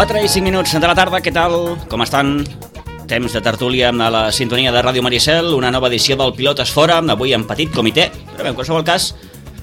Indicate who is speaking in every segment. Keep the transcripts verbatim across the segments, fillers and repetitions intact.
Speaker 1: quatre i cinc minuts de la tarda, què tal? Com estan? Temps de tertúlia amb la sintonia de Ràdio Maricel, una nova edició del Pilotes Fora, avui en petit comitè, però bé, en qualsevol cas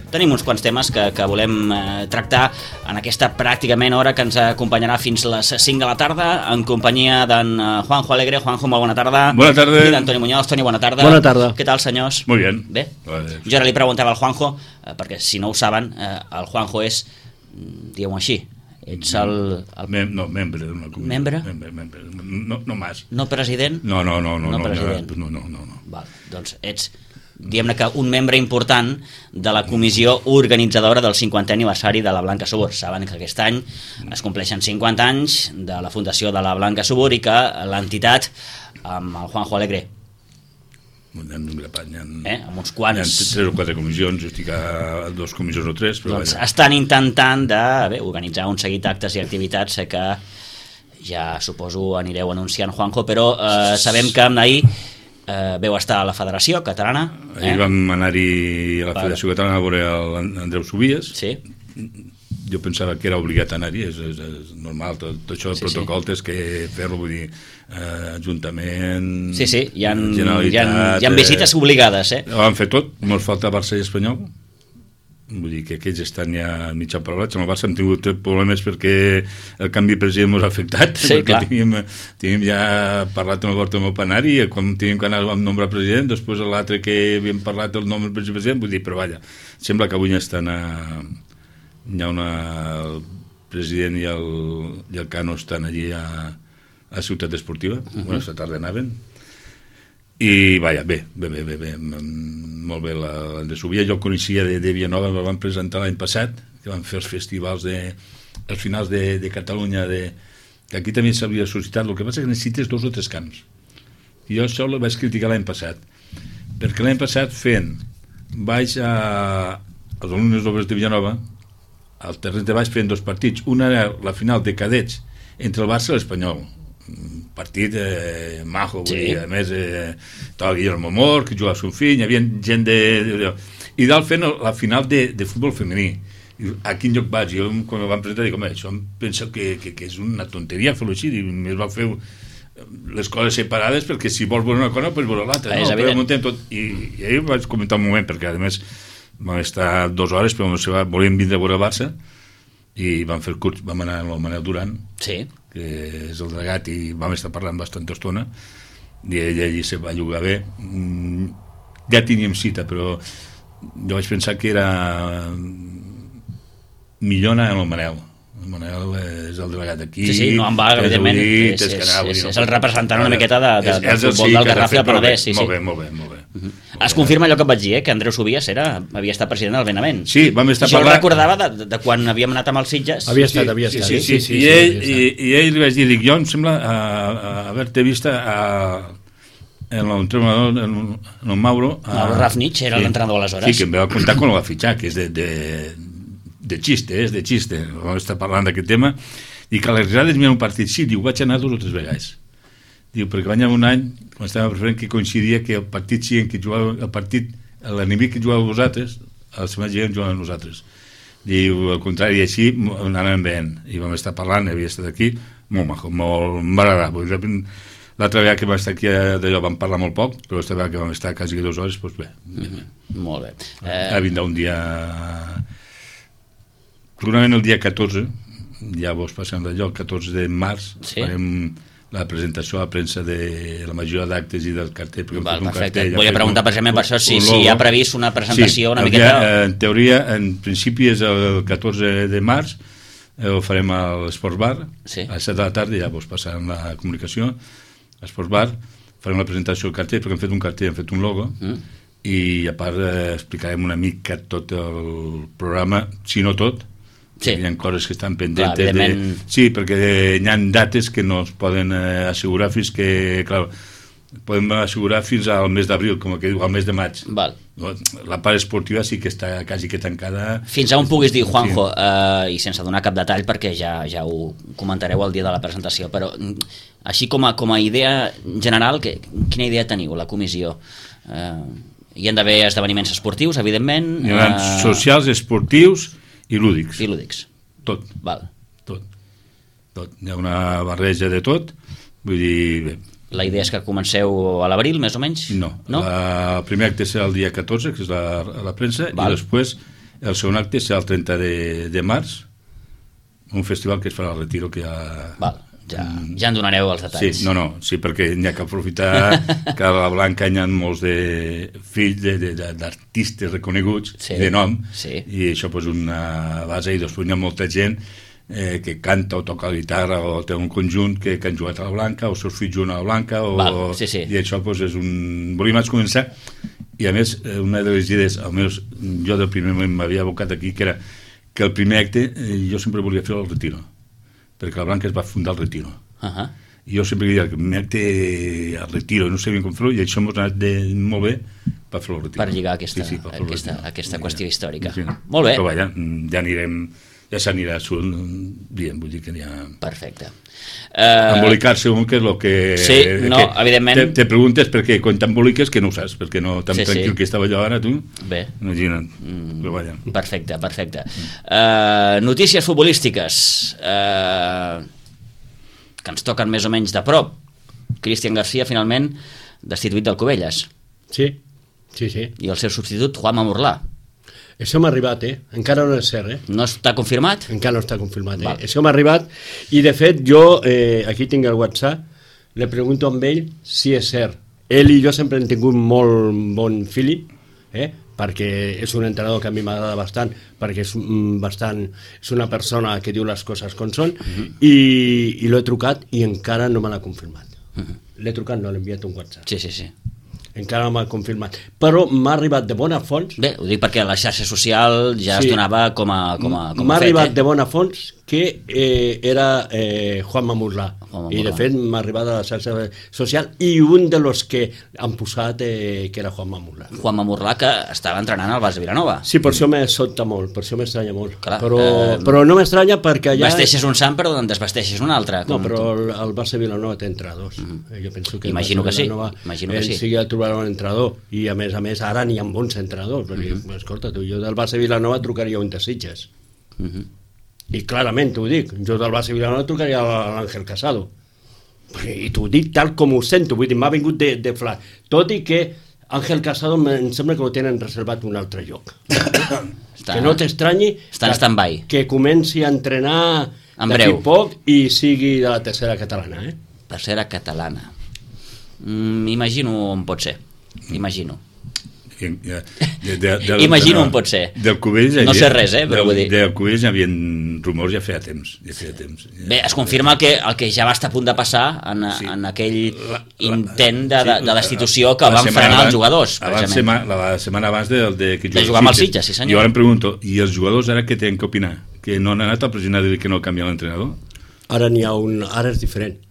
Speaker 1: tenim uns quants temes que, que volem eh, tractar en aquesta pràcticament hora que ens acompanyarà fins les cinc de la tarda, en companyia d'en Juanjo Alegre. Juanjo, molt bona tarda.
Speaker 2: Bona tarda.
Speaker 1: I d'Antoni Muñoz. Toni, bona tarda.
Speaker 3: Bona tarda.
Speaker 1: Què tal, senyors?
Speaker 2: Muy bien.
Speaker 1: Bé?
Speaker 2: Vale.
Speaker 1: Jo ara li preguntava al Juanjo, eh, perquè si no ho saben, eh, el Juanjo és, diguem-ho així, ets el... el...
Speaker 2: Mem no, membre d'una comissió.
Speaker 1: Membre?
Speaker 2: Membre, membre. No, no más.
Speaker 1: No president?
Speaker 2: No, no, no. No,
Speaker 1: no,
Speaker 2: no
Speaker 1: president.
Speaker 2: No, no, no. no.
Speaker 1: Val, doncs ets, diguem-ne que un membre important de la comissió organitzadora del cinquantè aniversari de la Blanca Subur. Saben que aquest any es compleixen cinquanta anys de la fundació de la Blanca Subur i que l'entitat, amb el Juanjo Alegre,
Speaker 2: Hi ha,
Speaker 1: eh, amb uns quants...
Speaker 2: Hi ha tres o quatre comissions, jo estic a dos comissions o tres, però
Speaker 1: doncs
Speaker 2: vaja.
Speaker 1: estan intentant de bé, organitzar un seguit d'actes i activitats. Sé que ja suposo anireu anunciant, Juanjo, però eh, sabem que ahir eh, veu estar a la Federació Catalana. Eh?
Speaker 2: Ahir vam anar-hi a la Federació Catalana a veure l'Andreu Subies.
Speaker 1: Sí.
Speaker 2: Jo pensava que era obligat a anar-hi, és, és, és normal, tot, tot això del
Speaker 1: sí,
Speaker 2: protocol
Speaker 1: sí.
Speaker 2: tens que fer-lo, vull dir, eh, Ajuntament,
Speaker 1: sí, sí, hi ha,
Speaker 2: Generalitat...
Speaker 1: Hi ha, hi ha visites obligades, eh?
Speaker 2: Ho han fet tot, ens falta Barça i Espanyol, vull dir que aquells estan ja mitja parolats. Amb el Barça hem tingut problemes perquè el canvi de president ens ha afectat,
Speaker 1: sí,
Speaker 2: perquè teníem, teníem ja parlat amb el Bartomeu Panari, quan teníem que anar amb nombre president, després l'altre que havíem parlat del nombre president, vull dir, però vaja, sembla que avui estan a... Hi ha una... el president i el, i el Cano estan allí a, a Ciutat Esportiva, uh -huh. Aquesta tarda anaven, i vaja, bé, bé, bé, bé, bé molt bé l'Andrés Subia. Jo el coneixia de, de Vilanova, el van presentar l'any passat, que van fer els festivals de, els finals de, de Catalunya, de, que aquí també s'havia suscitat. El que passa és que necessites dos o tres camps, i jo això ho vaig criticar l'any passat, perquè l'any passat fent vaig a als alumnes d'obres de Vilanova, al terreny de baix fent dos partits. Una era la final de cadets entre el Barça i l'Espanyol, un partit eh, majo, sí. Vull dir, a més eh, estava Guillermo Mor, que jugava son fill, hi havia gent de... de i dalt fent la final de, de futbol femení. I a quin lloc vaig? Jo quan em van presentar dic, home, això em penso que, que, que és una tonteria fer-ho així, i més va fer les coses separades, perquè si vols veure una cosa doncs veure l'altra, no? Però muntem tot. I, i ahir vaig comentar un moment, perquè a més vam estar dues hores, però volíem vindre a veure el Barça, i vam fer curs, vam anar amb el Manel Duran,
Speaker 1: sí.
Speaker 2: Que és el delegat, i vam estar parlant bastanta estona, i ell allí se va jugar bé. Ja teníem cita, però jo vaig pensar que era millor anar amb el Manel. El Manel és el delegat d'aquí.
Speaker 1: Sí, sí, no en va, evidentment. És, és, és, és el representant una miqueta de, de, del futbol del Garraf i del Penedès. Sí,
Speaker 2: molt bé, molt bé, molt bé.
Speaker 1: Uh -huh. Es confirma allò que et vaig dir, eh, que Andreu Subies era, havia estat president del Benavent.
Speaker 2: Sí, vam estar
Speaker 1: jo
Speaker 2: parlant...
Speaker 1: Jo el recordava de, de quan havíem anat amb els Sitges.
Speaker 3: Havia estat, havia estat.
Speaker 2: Sí, sí, sí, sí, sí, I, ell, sí, i, i ell li vaig dir, dic, jo em sembla uh, haver-te vist a, en l'entrenador, en, en el Mauro...
Speaker 1: A, el Rafnich era sí, l'entrenador aleshores.
Speaker 2: Sí, que em va contar quan el va fitxar, que és de, de, de xiste, és de xiste. Vam estar parlant d'aquest tema, I que a les grades hi ha un partit, sí, diu, vaig anar dos o tres vegades. Diu, perquè va anar un any, quan estàvem preferent, que coincidia que el partit sí en què jugava, el partit, l'enemic que jugava vosaltres, el setmana gent jugava nosaltres. Diu, al contrari, així anàvem veient, i vam estar parlant, havia estat aquí, molt maco, molt m'agrada. L'altra vegada que vam estar aquí d'allò vam parlar molt poc, però l'altra vegada que vam estar quasi dues hores, doncs bé.
Speaker 1: Mm-hmm. Molt bé.
Speaker 2: Eh... Ha vindrà un dia... Segurament el dia catorze, ja vos passem d'allò, el catorze de març, sí? Farem la presentació a la premsa de la majoria d'actes i del cartell.
Speaker 1: Val, perfecte. Cartell, Volia preguntar precisament per això si, si hi ha previst una presentació sí, una miqueta...
Speaker 2: Dia, en teoria, en principi és el catorze de març, ho farem a l'Esports Bar, sí. A les set de la tarda ja vos passarem la comunicació, a l'Esports Bar, farem la presentació del cartell, perquè hem fet un cartell, hem fet un logo, mm. i a part eh, explicarem una mica tot el programa, si no tot, sí. Hi ha coses que estan pendents. Clar, de... Sí, perquè hi ha dates que no es poden eh, assegurar fins que, clar, podem assegurar fins al mes d'abril, com que diu, al mes de maig.
Speaker 1: Val.
Speaker 2: La part esportiva sí que està quasi que tancada.
Speaker 1: Fins a on puguis dir, Juanjo, sí. eh, i sense donar cap detall, perquè ja, ja ho comentareu el dia de la presentació, però així com a, com a idea general, que, quina idea teniu, la comissió? Eh, hi ha d'haver esdeveniments esportius, evidentment.
Speaker 2: Hi ha eh... socials, esportius i lúdics.
Speaker 1: I lúdics.
Speaker 2: Tot.
Speaker 1: Val.
Speaker 2: Tot. Tot. Hi ha una barreja de tot. Vull dir... Bé.
Speaker 1: La idea és que comenceu a l'abril, més o menys?
Speaker 2: No. no? La, el primer acte serà el dia catorze, que és la, la premsa, Val. I després el segon acte serà el trenta de, de març, un festival que es farà al Retiro, que ja...
Speaker 1: Val. Ja, ja en donareu els detalls.
Speaker 2: Sí, no, no, sí, perquè n'hi ha que aprofitar que a la Blanca hi ha molts de fills d'artistes reconeguts, sí, de nom, sí. I això és una base, i després hi ha molta gent eh, que canta o toca la guitarra o té un conjunt que, que han jugat a la Blanca o els seus fills juguen a la Blanca o,
Speaker 1: Val, sí, sí.
Speaker 2: I això pues, és un... Volíem començar, i a més una de les idees, almenys jo del primer moment m'havia abocat aquí, que era que el primer acte eh, jo sempre volia fer el Retiro, perquè la Blanca es va fundar al Retiro. Uh-huh. I jo sempre diria que m'acte al Retiro, no sabíem com fer-ho, i això ens ha anat de, molt bé per fer el Retiro.
Speaker 1: Per lligar aquesta, sí, sí, per aquesta, aquesta qüestió
Speaker 2: ja,
Speaker 1: històrica.
Speaker 2: Sí,
Speaker 1: molt bé.
Speaker 2: Però vaja, ja anirem, ja s'anirà dient, vull dir que n'hi ha...
Speaker 1: Perfecte. Uh...
Speaker 2: Embolicar-se un, que és el que...
Speaker 1: Sí, no,
Speaker 2: que
Speaker 1: evidentment...
Speaker 2: Te, te preguntes perquè quan t'emboliques que no ho saps, perquè no tan sí, tranquil sí. Que estava jo ara, tu.
Speaker 1: Bé.
Speaker 2: Imagina't. Mm, però vaja.
Speaker 1: Perfecte, perfecte. Mm. Uh, notícies futbolístiques. Uh, que ens toquen més o menys de prop. Cristian García, finalment, destituït del Cubelles.
Speaker 3: Sí, sí, sí.
Speaker 1: I el seu substitut, Juanma Morlà.
Speaker 3: Això m'ha arribat, eh? Encara no és cert, eh?
Speaker 1: No està confirmat?
Speaker 3: Encara no està confirmat, eh? Val. Això m'ha arribat, i de fet jo, eh, aquí tinc el WhatsApp, le pregunto a ell si és cert. Ell i jo sempre hem tingut molt bon feeling, eh? Perquè és un entrenador que a mi m'agrada bastant, perquè és, bastant, és una persona que diu les coses com són, uh-huh. i, i l'he trucat i encara no me l'ha confirmat. Uh-huh. L'he trucat, no l'he enviat un WhatsApp.
Speaker 1: Sí, sí, sí.
Speaker 3: Encara no m'ha confirmat, però m'ha arribat de bona fonts.
Speaker 1: Bé, ho dic perquè a la xarxa social ja sí. Es donava com a, com a, com a
Speaker 3: m'ha
Speaker 1: fet,
Speaker 3: arribat
Speaker 1: eh?
Speaker 3: De bona fonts que eh, era eh, Juanma Morlà, i de fet m'ha arribat a la xarxa social, i un de los que han posat eh, que era Juanma Morlà.
Speaker 1: Juanma Morlà, que estava entrenant al Barça Vilanova.
Speaker 3: Sí, per això me sobta molt, per això m'estranya molt.
Speaker 1: Clar,
Speaker 3: però,
Speaker 1: eh,
Speaker 3: però no m'estranya perquè allà...
Speaker 1: Vesteixes un sant però en desvesteixes un altre.
Speaker 3: No, però el, el Barça Vilanova té entrenadors. Mm-hmm. Jo penso que
Speaker 1: imagino que sí.
Speaker 3: Imagino que sí. Sí que trobarà un entrenador, i a més a més ara n'hi ha bons entrenadors, perquè, mm-hmm. escolta, tu, jo del Barça Vilanova trucaria un de Sitges. Mm-hmm. I clarament t'ho dic, jo del Barça Vilanova trucaria a l'Àngel Casado. I t'ho dic tal com ho sento, vull dir, m'ha vingut de, de flac. Tot i que Àngel Casado em sembla que ho tenen reservat un altre lloc. Està, que no t'estranyi
Speaker 1: que,
Speaker 3: que comenci a entrenar d'aquí poc i sigui de la tercera catalana. Eh?
Speaker 1: Tercera catalana. M'imagino mm, on pot ser. Imagino.
Speaker 2: De, de, de, de,
Speaker 1: imagino
Speaker 2: no,
Speaker 1: on pot ser.
Speaker 2: Del Cubells
Speaker 1: no sé res, eh, però
Speaker 2: del,
Speaker 1: vull dir.
Speaker 2: Del Cubells hi havia rumors ja feia temps. Ja feia temps ja.
Speaker 1: Bé, es confirma el que, el que ja va estar a punt de passar en, sí. en aquell la, la, intent de, de, de destitució que van frenar els jugadors.
Speaker 2: Abans, sema, la setmana abans de, de, que
Speaker 1: de jugar amb els Sitges, sí senyor.
Speaker 2: I ara em pregunto, i els jugadors ara què tenen que opinar? Que no han anat al president a dir que no canvia l'entrenador?
Speaker 3: Ara n'hi ha un... Ara és diferent.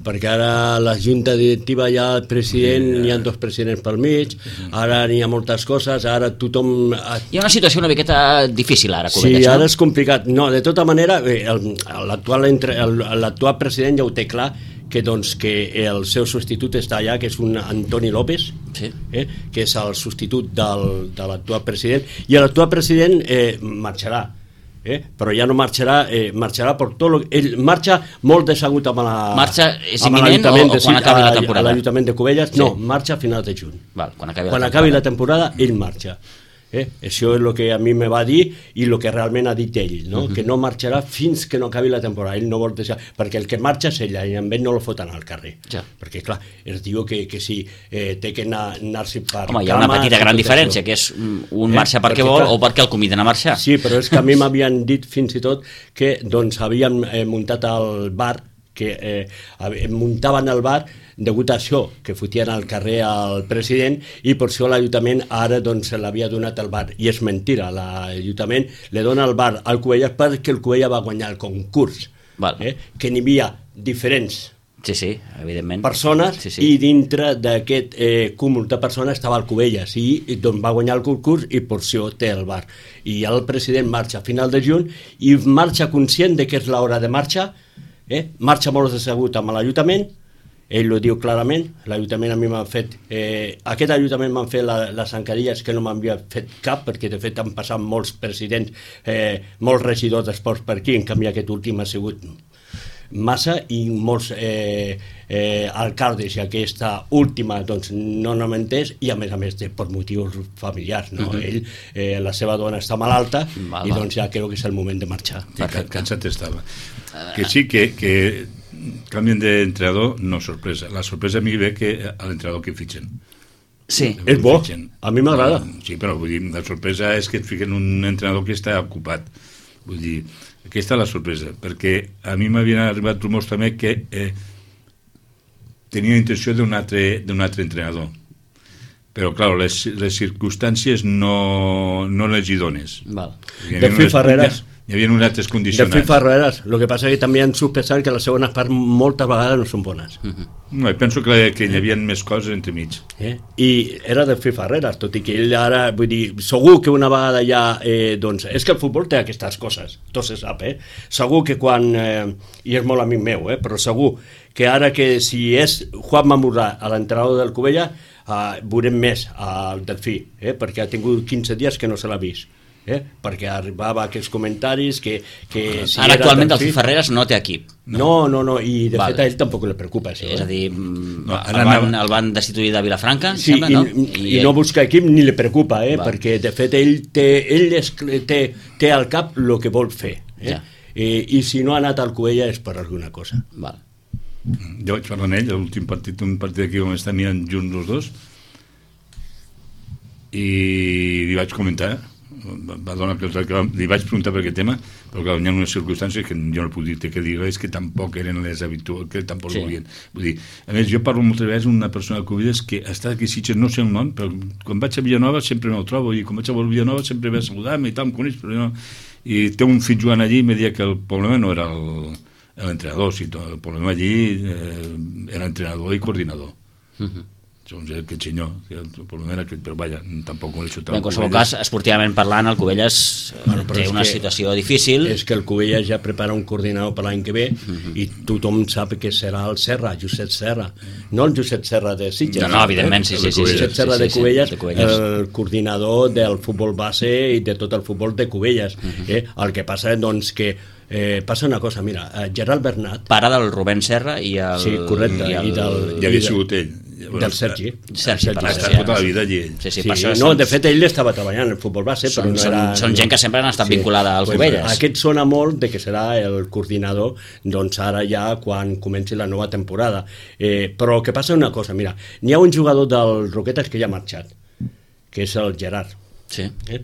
Speaker 3: perquè ara la junta directiva hi ha el president, sí, hi ha dos presidents pel mig, ara n'hi ha moltes coses, ara tothom...
Speaker 1: Hi ha una situació una miqueta difícil ara, Cubelles,
Speaker 3: sí, ara
Speaker 1: no?
Speaker 3: és complicat. No, de tota manera, l'actual l'actual president ja ho té clar, que, doncs, que el seu substitut està allà, que és un Antoni López, sí, eh, que és el substitut del, de l'actual president, i l'actual president eh, marxarà. Eh? Però ja no marxarà, eh, marxarà per tot lo... Ell marxa molt desagut amb la...
Speaker 1: Marxa és imminent o, o quan acabi la temporada?
Speaker 3: A l'Ajuntament de Cubelles, sí. No, marxa a finals de juny.
Speaker 1: Val, quan acabi,
Speaker 3: quan
Speaker 1: la,
Speaker 3: acabi
Speaker 1: temporada.
Speaker 3: la temporada, ell marxa. Eh? Això és el que a mi me va dir i el que realment ha dit ell, no? Uh -huh. Que no marxarà fins que no acabi la temporada. Ell no vol deixar... Perquè el que marxa és ella i amb ell no lo foten al carrer. Ja. Perquè, clar, es diu que, que si eh, té que anar, anar-s'hi per...
Speaker 1: Home, hi ha una petita gran diferència, això. Que és un eh? marxa perquè, perquè vol clar, o perquè el conviden a marxar.
Speaker 3: Sí, però és que a mi m'havien dit fins i tot que doncs havien eh, muntat el bar, que eh, muntaven el bar degut a això, que fotien al carrer al president i per això l'Ajuntament ara doncs l'havia donat el bar, i és mentira, l'Ajuntament li dona el bar al Cubelles perquè el Cubelles va guanyar el concurs, eh? Que n'hi havia diferents
Speaker 1: sí, sí, evidentment.
Speaker 3: persones
Speaker 1: sí, sí.
Speaker 3: I dintre d'aquest eh, cúmul de persones estava el Cubelles i, i doncs va guanyar el concurs i per això té el bar, i el president marxa a final de juny i marxa conscient de que és l'hora de marxar, eh? Marxa molt desagut amb l'Ajuntament. Ell ho diu clarament, l'Ajuntament a mi m'ha fet, eh, aquest Ajuntament m'han fet la, les encadilles que no m'havia fet cap, perquè de fet han passat molts presidents, eh, molts regidors d'esports per aquí, en canvi aquest últim ha sigut massa, i molts eh, eh, alcaldes, i aquesta última doncs no no m'entès, i a més a més de, per motius familiars, no? Uh-huh. Ell, eh, la seva dona està malalta, val, i doncs ja crec que és el moment de marxar.
Speaker 2: Sí, cansat estava. Que sí, que, que canvien d'entrenador, no sorpresa. La sorpresa a mi ve que a l'entrenador que fitxen.
Speaker 3: Sí, és bo, a mi m'agrada.
Speaker 2: Sí, però vull dir, la sorpresa és que et fiquen un entrenador que està ocupat. Vull dir, aquesta és la sorpresa, perquè a mi m'havien arribat rumors també que eh, tenia intenció d'un altre, d'un altre entrenador. Però, clar, les, les circumstàncies no, no les hi dones.
Speaker 3: Val. De fer Ferreres...
Speaker 2: Hi havia unes altres condicionants.
Speaker 3: De fer Ferreres, el que passa és que també han sospesat que les segones parts moltes vegades no són bones.
Speaker 2: Uh-huh. No, penso que, que hi havia més coses entre mig.
Speaker 3: Eh? I era de fer Ferreres, tot i que ell ara, vull dir, segur que una vegada ja, eh, doncs, és que el futbol té aquestes coses, tot se sap, eh? Segur que quan, eh, i és molt amic meu, eh, però segur que ara que si és Juan Mamurrà a l'entrenador del Cubelles, eh, veurem més al Delfí, eh, perquè ha tingut quinze dies que no se l'ha vist. Eh? Perquè arribava aquests comentaris que, que si
Speaker 1: ara actualment el Ferreres no té equip,
Speaker 3: no, no, no, i de Val. fet a ell tampoc li preocupa això,
Speaker 1: és
Speaker 3: eh?
Speaker 1: a dir, no, el, van, el van destituir de Vilafranca,
Speaker 3: sí,
Speaker 1: sembla,
Speaker 3: i,
Speaker 1: no?
Speaker 3: I, i no busca equip ni li preocupa, eh? Perquè de fet ell té, ell és, té, té al cap el que vol fer, eh? Ja. I, i si no ha anat al Cubelles és per alguna cosa.
Speaker 1: Val.
Speaker 2: Jo vaig parlar amb ell l'últim partit, un partit aquí on estan junts els dos, i li vaig comentar, va donar que li vaig preguntar per aquest tema, però clar, hi ha unes circumstàncies que jo no puc dir que dir res, que tampoc eren les habituals, que tampoc sí. volien. Vull dir, a més, jo parlo moltes vegades amb una persona de Cubelles que està aquí a Sitges, no sé el nom, però quan vaig a Villanova sempre me'l trobo, i quan vaig a Villanova sempre ve a saludar-me i tal, em coneix, però no... I té un fill jugant allí i em deia que el problema no era l'entrenador, sinó el problema allí eh, era entrenador i coordinador. Uh-huh. Doncs aquest senyor, el problema era aquest, però vaja, tampoc ho he xutat.
Speaker 1: En qualsevol cas, esportivament parlant, el Cubelles bueno, té una situació difícil.
Speaker 3: És que el Cubelles ja prepara un coordinador per l'any que ve uh-huh. i tothom sap que serà el Serra, Josep Serra. No el Josep Serra de Sitges.
Speaker 1: No, no, evidentment, sí, sí. sí, sí,
Speaker 3: Josep
Speaker 1: sí,
Speaker 3: Serra
Speaker 1: sí,
Speaker 3: de Cubelles,
Speaker 1: sí, sí, de Cubelles,
Speaker 3: el coordinador del futbol base i de tot el futbol de Cubelles. Uh-huh. eh? El que passa, doncs, que Eh, passa una cosa, mira, Gerard Bernat,
Speaker 1: pare del Rubén Serra i el...
Speaker 3: Sí, correcte,
Speaker 1: i, el,
Speaker 3: i del...
Speaker 2: Ja havia sigut ell.
Speaker 3: Del Sergi.
Speaker 1: Sergi,
Speaker 2: ha estat tota la vida allí ell.
Speaker 1: Sí, sí,
Speaker 3: sí,
Speaker 1: sí,
Speaker 3: no, de fet ell estava treballant en el futbol base,
Speaker 1: són,
Speaker 3: però no era...
Speaker 1: Són, són gent que sempre han estat sí. vinculada al
Speaker 3: pues,
Speaker 1: Cubelles.
Speaker 3: Aquest sona molt de que serà el coordinador, doncs ara ja quan comenci la nova temporada. Eh, però que passa una cosa, mira, n'hi ha un jugador del Roquetes que ja ha marxat, que és el Gerard.
Speaker 1: Sí.
Speaker 3: Eh?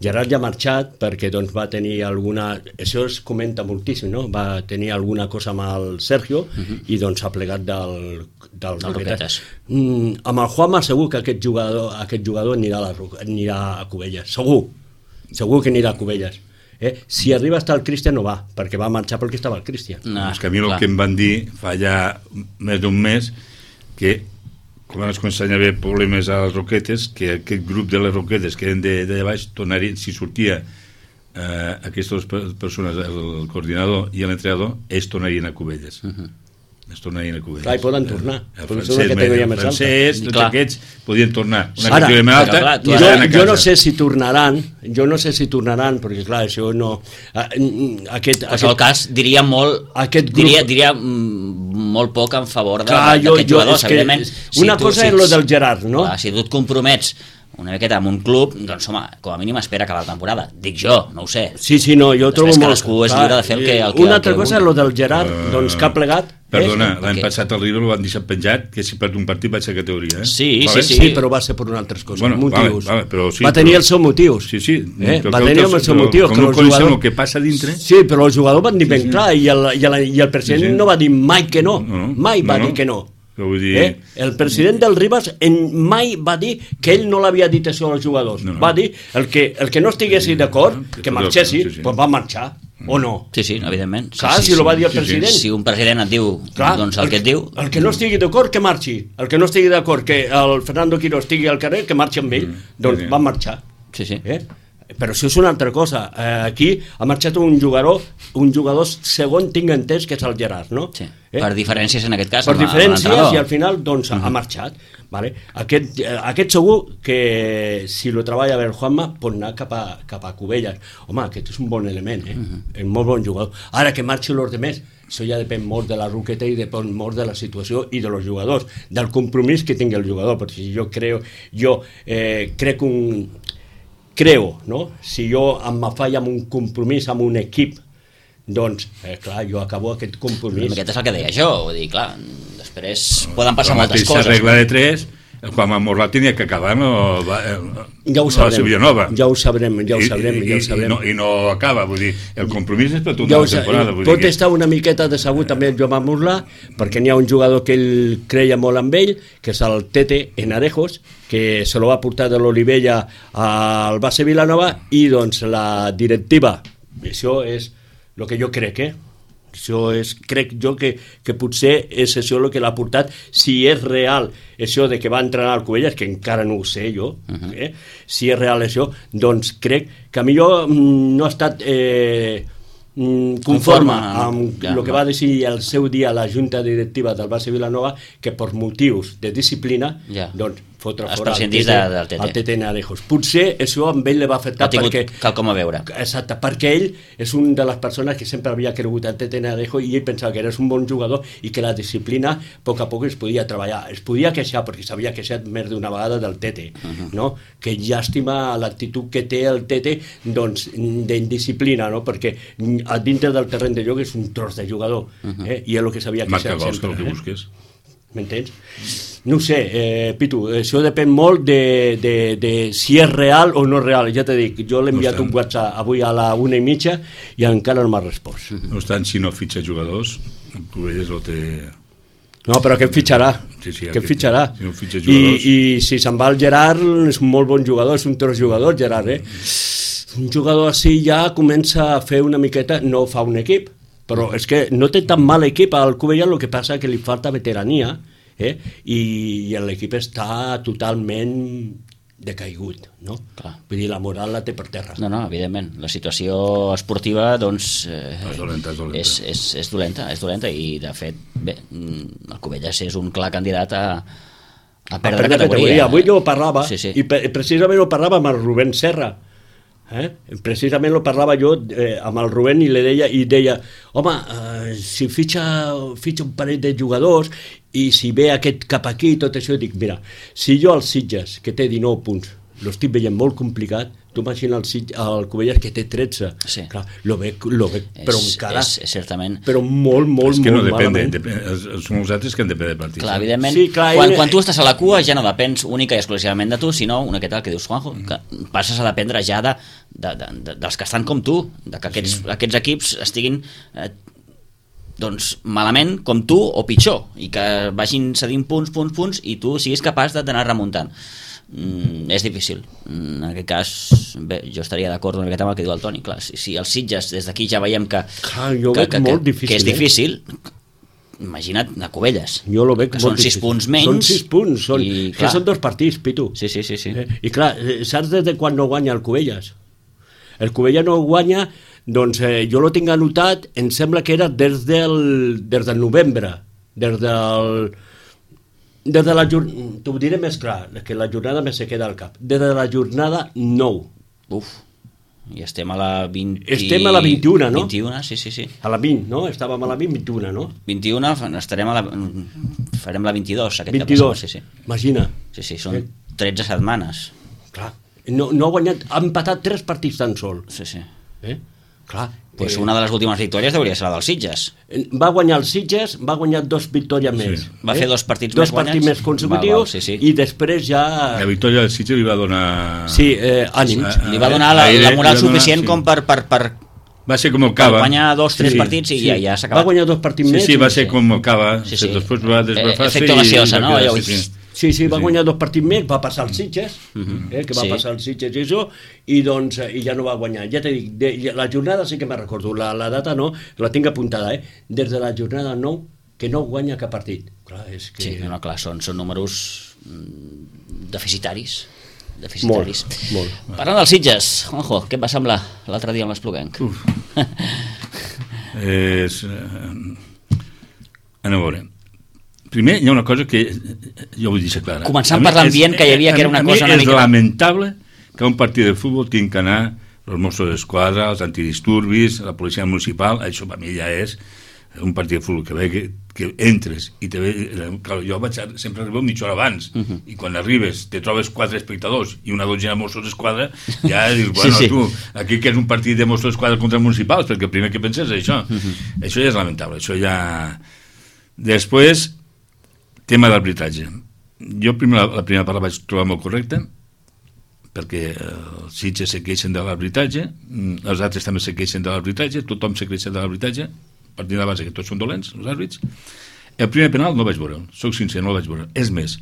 Speaker 3: Gerard ja ha marxat perquè doncs, va tenir alguna... Això es comenta moltíssim, no? Va tenir alguna cosa amb el Sergio uh-huh. i doncs s'ha plegat del, del Roquetes. Mm, amb el Juanma segur que aquest jugador, aquest jugador anirà, a la, anirà a Cubelles. Segur. Segur que anirà a Cubelles. Eh? Si arriba està el Cristian no va, perquè va marxar perquè estava el Cristian.
Speaker 2: No, és que a mi el clar. que em van dir fa ja més d'un mes que quan es començaven a haver problemes a les Roquetes, que aquest grup de les Roquetes que eren de, de baix, tornarien, si sortia eh, aquestes persones, el, el coordinador i l'entrenador, ells tornarien a Cubelles. Uh-huh. Es tornarien a Cubelles.
Speaker 3: Clar, i poden tornar.
Speaker 2: El, el francès, el francès tots
Speaker 1: clar.
Speaker 2: aquests podien tornar. Una
Speaker 3: Ara,
Speaker 2: categoria més alta,
Speaker 3: clar, jo, jo no sé si tornaran, jo no sé si tornaran, perquè clar, això no... Aquest,
Speaker 1: en qualsevol cas, diria molt...
Speaker 3: Aquest grup...
Speaker 1: Diria, diria molt poc en favor
Speaker 3: d'aquests
Speaker 1: jugadors, evidentment.
Speaker 3: Una
Speaker 1: si
Speaker 3: cosa
Speaker 1: tu,
Speaker 3: és lo del Gerard, no?
Speaker 1: Clar, si tu et compromets una miqueta amb un club, doncs home, com a mínim espera acabar la temporada. Dic jo, no ho sé.
Speaker 3: Sí, sí, no, jo trobo molt...
Speaker 1: cadascú és lliure de fer el que... El que
Speaker 3: una altra
Speaker 1: el que
Speaker 3: cosa és lo del Gerard, uh, doncs que ha plegat...
Speaker 2: Perdona,
Speaker 3: eh?
Speaker 2: l'any passat el River ho van deixar penjat, que si perd un partit va ser categoria, eh?
Speaker 1: Sí,
Speaker 2: vale?
Speaker 1: sí, sí.
Speaker 3: Sí, però va ser per una altres coses, bueno, motius.
Speaker 2: Vale, vale, però sí,
Speaker 3: va tenir
Speaker 2: però...
Speaker 3: els seus motius.
Speaker 2: Sí, sí.
Speaker 3: Eh? Va tenir els seus motius.
Speaker 2: Com no coneixem el que passa dintre...
Speaker 3: Sí, però el jugador van dir ben
Speaker 2: sí, sí.
Speaker 3: clar i el, i, el, i el president sí, sí. no va dir mai que no.
Speaker 2: no, no
Speaker 3: mai va
Speaker 2: no,
Speaker 3: dir que no.
Speaker 2: Vull dir...
Speaker 3: Eh? El president del Ribas en mai va dir que ell no l'havia dit això als jugadors. No, no. Va dir el que, el que no estiguessi sí, d'acord, no, que marxessi, sí, sí. pues va marxar. O no?
Speaker 1: Sí, sí, evidentment.
Speaker 3: Clar,
Speaker 1: sí, sí,
Speaker 3: si lo va dir el
Speaker 1: sí,
Speaker 3: president.
Speaker 1: Si un president et diu clar, doncs el, el que et diu...
Speaker 3: El que no estigui d'acord, que marxi. El que no estigui d'acord que el Fernando Quiro estigui al carrer, que marxi amb ell. Mm, doncs sí, sí. va marxar.
Speaker 1: Sí, sí.
Speaker 3: Eh? Però això és una altra cosa. Eh, aquí ha marxat un jugador, un jugador segon tinc entès que és el Gerard, no?
Speaker 1: Sí.
Speaker 3: Eh?
Speaker 1: Per diferències en aquest cas.
Speaker 3: Per diferències i al final doncs
Speaker 1: uh-huh.
Speaker 3: ha marxat. Vale? Aquest, eh, aquest segur que si lo treballa bé el Juanma pot anar cap a, cap a Cubelles. Home, aquest és un bon element, eh? Uh-huh. És molt bon jugador. Ara que marxi els demés, això ja depèn molt de la Roqueta i depèn molt de la situació i de los jugadors, del compromís que tingui el jugador, perquè jo creo, jo eh, crec un creo, no? Si jo em falla amb un compromís amb un equip, doncs, eh, clar, jo acabo aquest compromís.
Speaker 1: Aquest és el que deia jo, vull dir, clar, després poden passar
Speaker 2: la
Speaker 1: moltes coses.
Speaker 2: La regla de tres, el Juan Morlat tenia que acabar no, va,
Speaker 3: ja ho sabrem,
Speaker 2: Villanova.
Speaker 3: Ja ho sabrem, ja ho sabrem,
Speaker 2: I,
Speaker 3: ja ho sabrem.
Speaker 2: I, no, I no acaba, vull dir, el compromís és per tota
Speaker 3: ja
Speaker 2: la temporada. Vull
Speaker 3: pot
Speaker 2: dir
Speaker 3: estar una miqueta decebut també el Joan Morlat, perquè n'hi ha un jugador que ell creia molt amb ell, que és el Tete Enarejos, que se lo va portar de l'Olivella al base Vilanova, i doncs la directiva, això és el que jo crec, eh? Això és, crec jo que, que potser és això el que l'ha portat, si és real això de que va entrenar al Cubelles, que encara no ho sé jo, uh-huh. eh? Si és real això, doncs crec que a millor no ha estat eh, conforme, conforme amb el que va decidir el seu dia la junta directiva del base Vilanova, que per motius de disciplina ja. doncs fotre fora el Tete,
Speaker 1: de, del Tete.
Speaker 3: el Tete Narejos. Potser això amb ell li va afectar perquè...
Speaker 1: quelcom a veure.
Speaker 3: Exacte, perquè ell és un de les persones que sempre havia cregut el Tete Narejos i ell pensava que era un bon jugador i que la disciplina a poc a poc es podia treballar. Es podia queixar, perquè s'havia queixat més d'una vegada del Tete, uh-huh. no? Que llàstima l'actitud que té el Tete doncs, d'indisciplina, no? Perquè a dintre del terreny de joc és un tros de jugador, uh-huh. eh? I és el que s'havia queixat
Speaker 2: Marca
Speaker 3: sempre.
Speaker 2: Marca gols, que el que
Speaker 3: eh?
Speaker 2: busques.
Speaker 3: M'entens? No ho sé, eh, Pitu, això depèn molt de, de, de si és real o no és real. Ja t'he dit, jo l'he enviat no un WhatsApp avui a la una i mitja i encara no m'ha respost.
Speaker 2: No obstant, si no fitxa jugadors, el Cubelles el té...
Speaker 3: No, però que fitxarà,
Speaker 2: sí, sí,
Speaker 3: que fitxarà.
Speaker 2: Si no fitxa jugadors...
Speaker 3: I, I si se'n va el Gerard, és un molt bon jugador, és un tros jugador, Gerard, eh? Un jugador així ja comença a fer una miqueta, no fa un equip, però és que no té tan mal equip al Cubelles, el que passa que li falta veterania, eh? I, i l'equip està totalment decaigut, no? Clar. Vull dir, la moral la té per terra.
Speaker 1: No, no, evidentment. La situació esportiva, doncs... Eh,
Speaker 2: és dolenta, és dolenta.
Speaker 1: És, és, és dolenta, és dolenta, i de fet, bé, el Cubelles és un clar candidat a, a perdre, a perdre categoria. categoria.
Speaker 3: Avui jo parlava,
Speaker 1: sí, sí.
Speaker 3: i pre precisament ho parlava amb el Rubén Serra, eh? Precisament ho parlava jo eh, amb el Rubén i li deia, i deia home, eh, si fitxa, fitxa un parell de jugadors i si ve aquest cap aquí i tot això, dic, mira, si jo als Sitges, que té dinou punts, l'estic veient molt complicat, tu imagina el, el Cubelles que té tretze,
Speaker 1: sí.
Speaker 3: Clar, lo ve, lo ve
Speaker 1: és,
Speaker 3: però encara
Speaker 1: és, és certament
Speaker 3: però molt, molt,
Speaker 2: és que
Speaker 3: molt
Speaker 2: no depèn,
Speaker 3: malament
Speaker 2: depèn, són els altres que han de depèn de partits.
Speaker 1: clar, evidentment,
Speaker 3: sí, clar,
Speaker 1: quan,
Speaker 3: ell...
Speaker 1: quan tu estàs a la cua ja no depens única i exclusivament de tu, sinó una que tal que dius, Juanjo, que passes a dependre ja de, de, de, de, dels que estan com tu, de que aquests, sí. aquests equips estiguin eh, doncs malament com tu o pitjor, i que vagin cedint punts, punts, punts i tu siguis capaç d'anar remuntant. mm, és difícil. En aquest cas, bé, jo estaria d'acord una miqueta amb el que diu el Toni. Clar, si, si els Sitges des d'aquí ja veiem que,
Speaker 3: Clar, jo
Speaker 1: que,
Speaker 3: veig
Speaker 1: que,
Speaker 3: molt
Speaker 1: que,
Speaker 3: difícil,
Speaker 1: que és
Speaker 3: eh?
Speaker 1: difícil, imagina't a Cubelles,
Speaker 3: Jo lo veig
Speaker 1: que
Speaker 3: molt
Speaker 1: són sis
Speaker 3: difícil.
Speaker 1: punts menys.
Speaker 3: Són sis punts, són,
Speaker 1: i,
Speaker 3: que són dos partits, Pitu.
Speaker 1: Sí, sí, sí, sí.
Speaker 3: Eh? I clar, eh, saps des de quan no guanya el Cubelles? El Cubelles no guanya, doncs eh, jo lo tinc anotat, em sembla que era des del, des del novembre, des del... Des de la jornada, t'ho diré més clar, que la jornada més se queda al cap. Des de la jornada nou.
Speaker 1: Uf, i estem a la vint...
Speaker 3: Estem a la vint-i-una, no?
Speaker 1: vint-i-una, sí, sí, sí.
Speaker 3: A la vint, no? Estàvem a la vint, vint-i-una, no?
Speaker 1: vint-i-una, estarem a la... farem la vint-i-dos, aquest
Speaker 3: vint-i-dos,
Speaker 1: sí, sí.
Speaker 3: Imagina.
Speaker 1: Sí, sí, són tretze setmanes.
Speaker 3: Clar, no, no ha guanyat, ha empatat tres partits tan sol.
Speaker 1: Sí, sí.
Speaker 3: Eh? Clar.
Speaker 1: Pues
Speaker 3: eh,
Speaker 1: una de les últimes victòries hauria de ser la dels Sitges.
Speaker 3: Va guanyar els Sitges, va guanyar dos victòries més.
Speaker 1: Va fer dos partits
Speaker 3: dos
Speaker 1: més
Speaker 3: partits
Speaker 1: guanyats.
Speaker 3: més consecutius,
Speaker 1: Val, val, sí, sí.
Speaker 3: i després ja...
Speaker 2: La victòria del Sitges li va donar...
Speaker 3: Sí, eh, ànims.
Speaker 1: Li va donar la, la moral suficient
Speaker 2: sí.
Speaker 1: com per, per, per,
Speaker 2: Va ser com el
Speaker 1: per
Speaker 2: Cava.
Speaker 1: guanyar dos, tres
Speaker 3: Sí,
Speaker 1: partits i
Speaker 3: sí.
Speaker 1: ja, ja s'ha
Speaker 3: Va
Speaker 1: acabat.
Speaker 3: guanyar dos partits
Speaker 2: Sí,
Speaker 3: més.
Speaker 2: sí, va ser
Speaker 1: Sí.
Speaker 2: com el Cava.
Speaker 1: Sí, sí.
Speaker 2: Després va desbrafar-se
Speaker 1: Efecte Laciosa, no? Allò,
Speaker 2: sí, sí.
Speaker 3: Sí, sí, va
Speaker 2: Sí.
Speaker 3: guanyar dos partits més, va passar els Sitges, eh, que va
Speaker 1: Sí.
Speaker 3: passar els Sitges i això, i doncs eh, i ja no va guanyar. Ja t'he dit, de, la jornada sí que me'n recordo, la, la data no, la tinc apuntada, eh? Des de la jornada nou, que no guanya cap partit. Clar, és que...
Speaker 1: Sí, no, clar, són, són números mm, deficitaris. deficitaris.
Speaker 3: Molt, molt.
Speaker 1: Parlant dels Sitges, Juanjo, què et va semblar l'altre dia amb l'Espluguenc?
Speaker 2: És... Eh, anem a veure. Primer, hi ha una cosa que jo vull deixar clara.
Speaker 1: Començant
Speaker 2: A mi
Speaker 1: per l'ambient
Speaker 2: és-
Speaker 1: que hi havia, que era una
Speaker 2: a mi
Speaker 1: cosa una
Speaker 2: és
Speaker 1: mica...
Speaker 2: lamentable que un partit de futbol tingui que anar els Mossos d'Esquadra, els antidisturbis, la policia municipal, això per mi ja és un partit de futbol que ve que, que entres i te ve, clar, jo vaig a, sempre arribo mitja hora abans uh -huh. i quan arribes te trobes quatre espectadors i una dotzena de Mossos d'Esquadra, ja dius, bueno,
Speaker 1: Sí, sí.
Speaker 2: tu, aquí que és un partit de Mossos d'Esquadra contra municipals, perquè el primer que penses és això. Uh -huh. Això ja és lamentable, això ja... Després, tema d'arbitratge. Jo primer, la, la primera part la vaig trobar molt correcta, perquè els Sitges se queixen de l'arbitratge, els altres també se queixen de l'arbitratge, tothom se queixa de l'arbitratge, partint de la base que tots són dolents, els àrbits. El primer penal no el vaig veure, soc sincer, no el vaig veure. És més,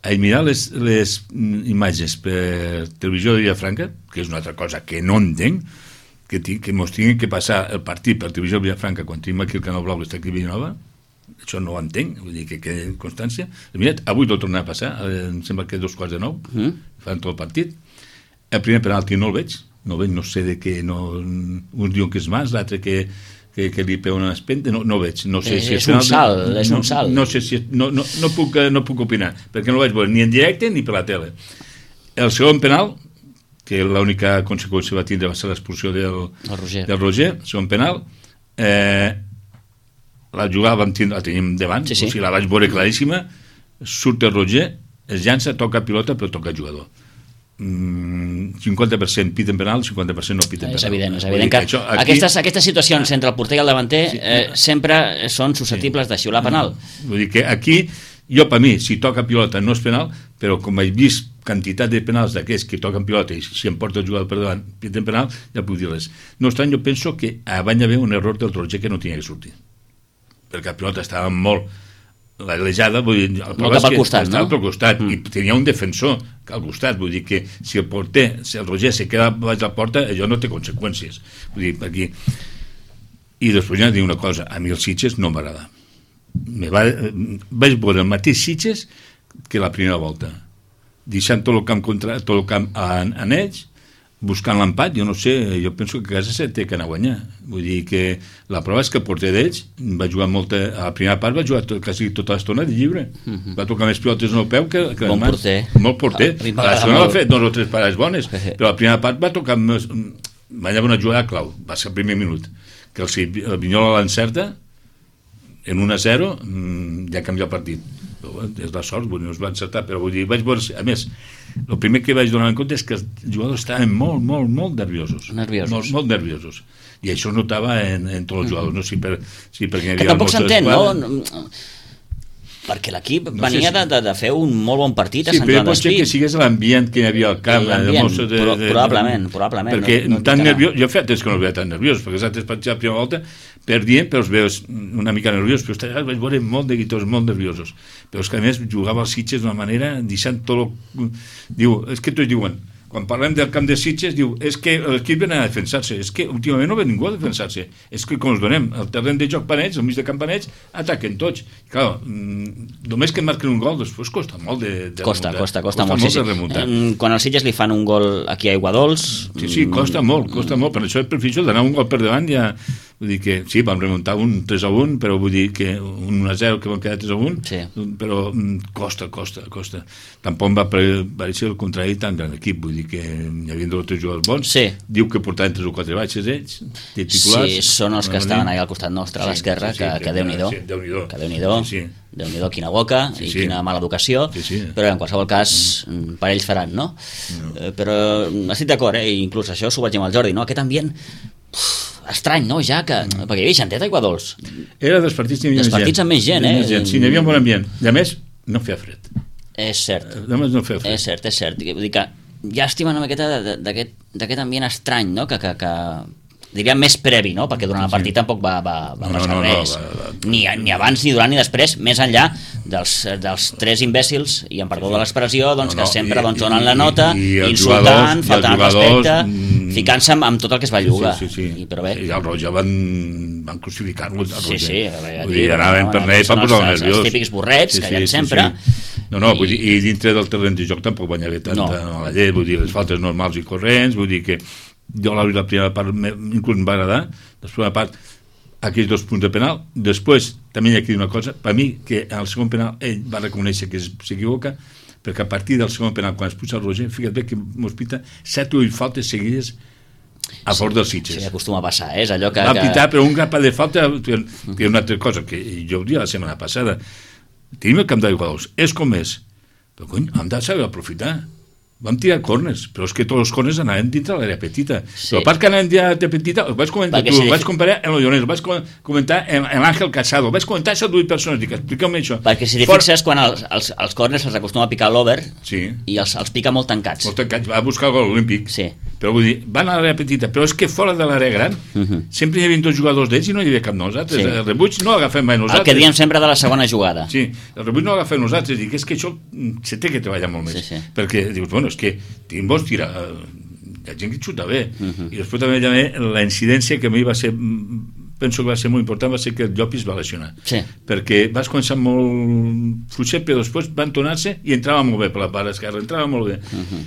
Speaker 2: a mirar les, les imatges per televisió de Vilafranca, que és una altra cosa que no entenc, que, que mos tingui que passar el partit per televisió de Vilafranca quan tenim aquí el Canal Blau que està aquí a Villanova, això no ho entenc, vull dir que queda en constància. Mirat, avui tot tornarà a passar, em sembla que dos quarts de nou, mm. fan tot el partit. El primer penalti no el veig, no el veig, no sé de què, no, un diu que és Mas, l'altre que, que, que li pega una espenta, no, no veig. No sé
Speaker 1: Eh,
Speaker 2: si
Speaker 1: és un salt,
Speaker 2: no,
Speaker 1: és un salt.
Speaker 2: No, no sé si... No, no, no, puc, no puc opinar, perquè no el vaig veure ni en directe ni per la tele. El segon penal, que l'única conseqüència va tindre va ser l'expulsió del,
Speaker 1: Roger.
Speaker 2: del Roger, segon penal, eh, la jugada vam tindre, la tenim davant,
Speaker 1: Sí, sí.
Speaker 2: o sigui, la vaig veure claríssima, surt el Roger, es llança, toca pilota, però toca el jugador. Mm, cinquanta per cent piten penal, cinquanta per cent no piten penal.
Speaker 1: És evident, és
Speaker 2: Vull
Speaker 1: evident
Speaker 2: dir
Speaker 1: que,
Speaker 2: això aquí-
Speaker 1: aquestes, aquestes situacions entre el porter i el davanter
Speaker 2: Sí.
Speaker 1: eh, sempre són susceptibles de xiular penal.
Speaker 2: Vull dir que aquí, jo per mi, si toca pilota no és penal, però com he vist quantitat de penals d'aquests que toquen pilota i si em porta el jugador per davant piten penal, ja puc dir-les. No obstant, jo penso que abans hi havia un error del Roger que no tenia que sortir, perquè la pilota estava molt l'alejada, vull dir, el
Speaker 1: No cap al
Speaker 2: que
Speaker 1: costat,
Speaker 2: estava
Speaker 1: no?
Speaker 2: pel costat,
Speaker 1: Mm.
Speaker 2: i tenia un defensor al costat, vull dir que si el porter, si el Roger se queda baix la porta, allò no té conseqüències, vull dir, aquí. I després ja dic una cosa, a mi els Sitges no m'agrada. Me va, vaig veure el mateix Sitges que la primera volta, deixant tot el camp contra, tot el camp en, en ells, buscant l'empat, jo no sé, jo penso que a casa se té que anar a guanyar. Vull dir que la prova és que el porter d'ells va jugar molta... A la primera part va jugar tot, quasi tota l'estona de lliure. Uh-huh. Va tocar més pilotes en el peu que, que
Speaker 1: Bon
Speaker 2: mans.
Speaker 1: porter.
Speaker 2: Molt porter.
Speaker 1: A mi
Speaker 2: A la
Speaker 1: m'agrada
Speaker 2: segona va
Speaker 1: molt.
Speaker 2: fer dos o tres parades bones, però la primera part va tocar més... Va haver una jugada clau, va ser el primer minut, que el, el Vinyola l'encerta, en un a zero, ja canvia el partit. Però, bueno, és la sort, vull dir, no es va encertar, però vull dir, vaig veure... A més, el primer que vaig donar en compte és que els jugadors estaven molt, molt, molt nerviosos.
Speaker 1: Nerviosos.
Speaker 2: Molt, molt nerviosos. I això es notava en, en tots els jugadors, no sé si, per, si perquè hi havia
Speaker 1: Que tampoc
Speaker 2: el Mosso
Speaker 1: s'entén,
Speaker 2: d'Esquadra.
Speaker 1: no? perquè l'equip no venia sé si... de, de fer un molt bon partit a
Speaker 2: sí,
Speaker 1: Sant Joan
Speaker 2: d'Espí. Sí, però pot ser que sigués l'ambient que hi havia al camp.
Speaker 1: De, de, de, probablement, probablement.
Speaker 2: Perquè
Speaker 1: no, no
Speaker 2: tan nerviós, jo feia temps que no el veia tan nerviós, perquè els altres partits a la primera volta perdien, però els veus una mica nerviós, però els vaig veure molt de guitors, molt nerviosos. Però és que a més jugava als Sitges d'una manera, deixant tot... Lo... Diu, és que tots diuen, quan parlem del camp de Sitges, diu, és que l'equip ven a defensar-se, és que últimament no ve ningú a defensar-se, és que com els donem el terreny de joc Panets, al mig de camp Panets, ataquen tots. I clar, només que marquen un gol, després costa molt de, de
Speaker 1: costa,
Speaker 2: remuntar.
Speaker 1: Costa, costa, costa
Speaker 2: molt,
Speaker 1: molt,
Speaker 2: sí,
Speaker 1: sí,
Speaker 2: remuntar.
Speaker 1: Sí. Quan als Sitges li fan un gol aquí a Aiguadols...
Speaker 2: Sí, sí, costa molt, costa molt, per això és prefició d'anar un gol per davant ja... Vull dir que sí, vam remuntar un tres a un, però vull dir que un un a zero que vam quedar tres a un,
Speaker 1: sí.
Speaker 2: Però costa, costa, costa. Tampoc va aparèixer el contrari tan gran equip, vull dir que hi havia dos o tres jugadors bons,
Speaker 1: sí.
Speaker 2: Diu que portaven tres o quatre baixes ells, de titulars.
Speaker 1: Sí, són els que estaven allà al costat nostre, a l'esquerra, sí, sí, sí, que, que Déu-n'hi-do,
Speaker 2: sí, Déu-n'hi-do,
Speaker 1: que Déu-n'hi-do,
Speaker 2: sí, sí.
Speaker 1: Déu-n'hi-do, quina boca
Speaker 2: sí,
Speaker 1: i
Speaker 2: sí.
Speaker 1: quina mala educació,
Speaker 2: sí, sí.
Speaker 1: Però en qualsevol cas mm. per ells faran, no? no. Eh, però estic d'acord, eh? Inclús això s'ho vaig dir amb el Jordi, no? Aquest ambient uf, estrany, no? Ja que... Mm. Perquè hi havia xantet a Aiguadols.
Speaker 2: Era dels partits que hi havia
Speaker 1: dels partits amb més gent, eh?
Speaker 2: Gent. Sí, hi havia un bon ambient. I a més, no feia fred.
Speaker 1: És cert.
Speaker 2: A més, no feia fred.
Speaker 1: És cert, és cert. Vull dir que llàstima una miqueta d'aquest ambient estrany, no? Que, que, que diríem més previ, no? Perquè durant el partit sí. Tampoc va, va, va no, passar no, no, res. No, va, va. Ni, ni abans, ni durant, ni després, més enllà dels, dels tres imbècils, i em perdó de l'expressió, doncs, no, no, que sempre i, doncs, donen la nota, i, i insultant, faltant respecte, mm, ficant-se amb, amb tot el que es va llogar.
Speaker 2: Sí, sí, sí.
Speaker 1: I, però bé.
Speaker 2: I el Roger van, van crucificar-lo.
Speaker 1: Sí, sí.
Speaker 2: Vull dir, anaven per allà per posar nerviós.
Speaker 1: Els típics borrets, sí, que hi ha
Speaker 2: sí,
Speaker 1: sempre.
Speaker 2: Sí, sí. No, no, I... vull dir, i dintre del terreny de joc tampoc van haver tanta no. la llei, vull dir, les faltes normals i corrents, vull dir que jo la, la primera part inclús em va agradar, després la part aquells dos punts de penal, després també hi ha aquí una cosa, per mi que al segon penal ell va reconèixer que s'equivoca, perquè a partir del segon penal quan es puja el Roger, fíjate bé que mos pita set o vuit faltes seguides a sí, favor dels Sitges.
Speaker 1: Sí, acostuma a passar, eh? És allò que...
Speaker 2: Va pitar, però un grapa de falta que és una altra cosa, que jo ho dia la setmana passada, tenim el camp d'Aiguadols, és com és, però cony, hem de saber aprofitar. Vam tirar corners, però és que tots els corners anaven dintre l'àrea petita. Sí. Però pas que anaven dintre l'àrea petita, ho vaig comentar Perquè tu, sí. ho vaig comparar amb el Lloners, ho vaig comentar amb l'Àngel Casado, ho vaig comentar a dues persones, dic, expliqueu-me això.
Speaker 1: Perquè si t'hi For... fixes, quan els, els, els corners els acostuma a picar l'over
Speaker 2: sí.
Speaker 1: i els, els pica molt tancats.
Speaker 2: Molt tancats, va buscar el gol olímpic.
Speaker 1: Sí.
Speaker 2: Però vull dir, van a l'àrea petita, però és que fora de l'àrea gran uh -huh. sempre hi havia dos jugadors d'ells i no hi havia cap nosaltres. Sí. El rebuig no l'agafem mai nosaltres.
Speaker 1: El que diem sempre de la segona jugada.
Speaker 2: Sí, el rebuig no l'agafem nosaltres. Dic, és que això se té que treballar molt més. Sí, sí. Perquè dius, bueno, és que tenim bons tirar, hi ha gent que xuta bé. Uh -huh. I després també, també la incidència que a mi va ser, penso que va ser molt important, va ser que el Llopis va lesionar.
Speaker 1: Sí.
Speaker 2: Perquè vas començar molt fluixet, però després van tornar-se i entrava molt bé per la part esquerra, entrava molt bé. Uh -huh.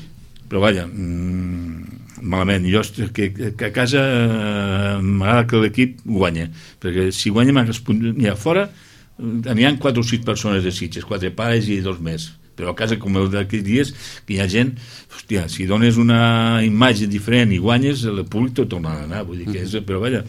Speaker 2: Però vaja, mmm, malament, jo que, que a casa eh, m'agrada que l'equip guanya, perquè si guanyem els punts n'hi ha fora, n'hi ha quatre o sis persones de Sitges, quatre pares i dos més, però a casa com el d'aquells dies que hi ha gent, hòstia, si dones una imatge diferent i guanyes, el públic tot torna a anar, vull dir que és, però vaja,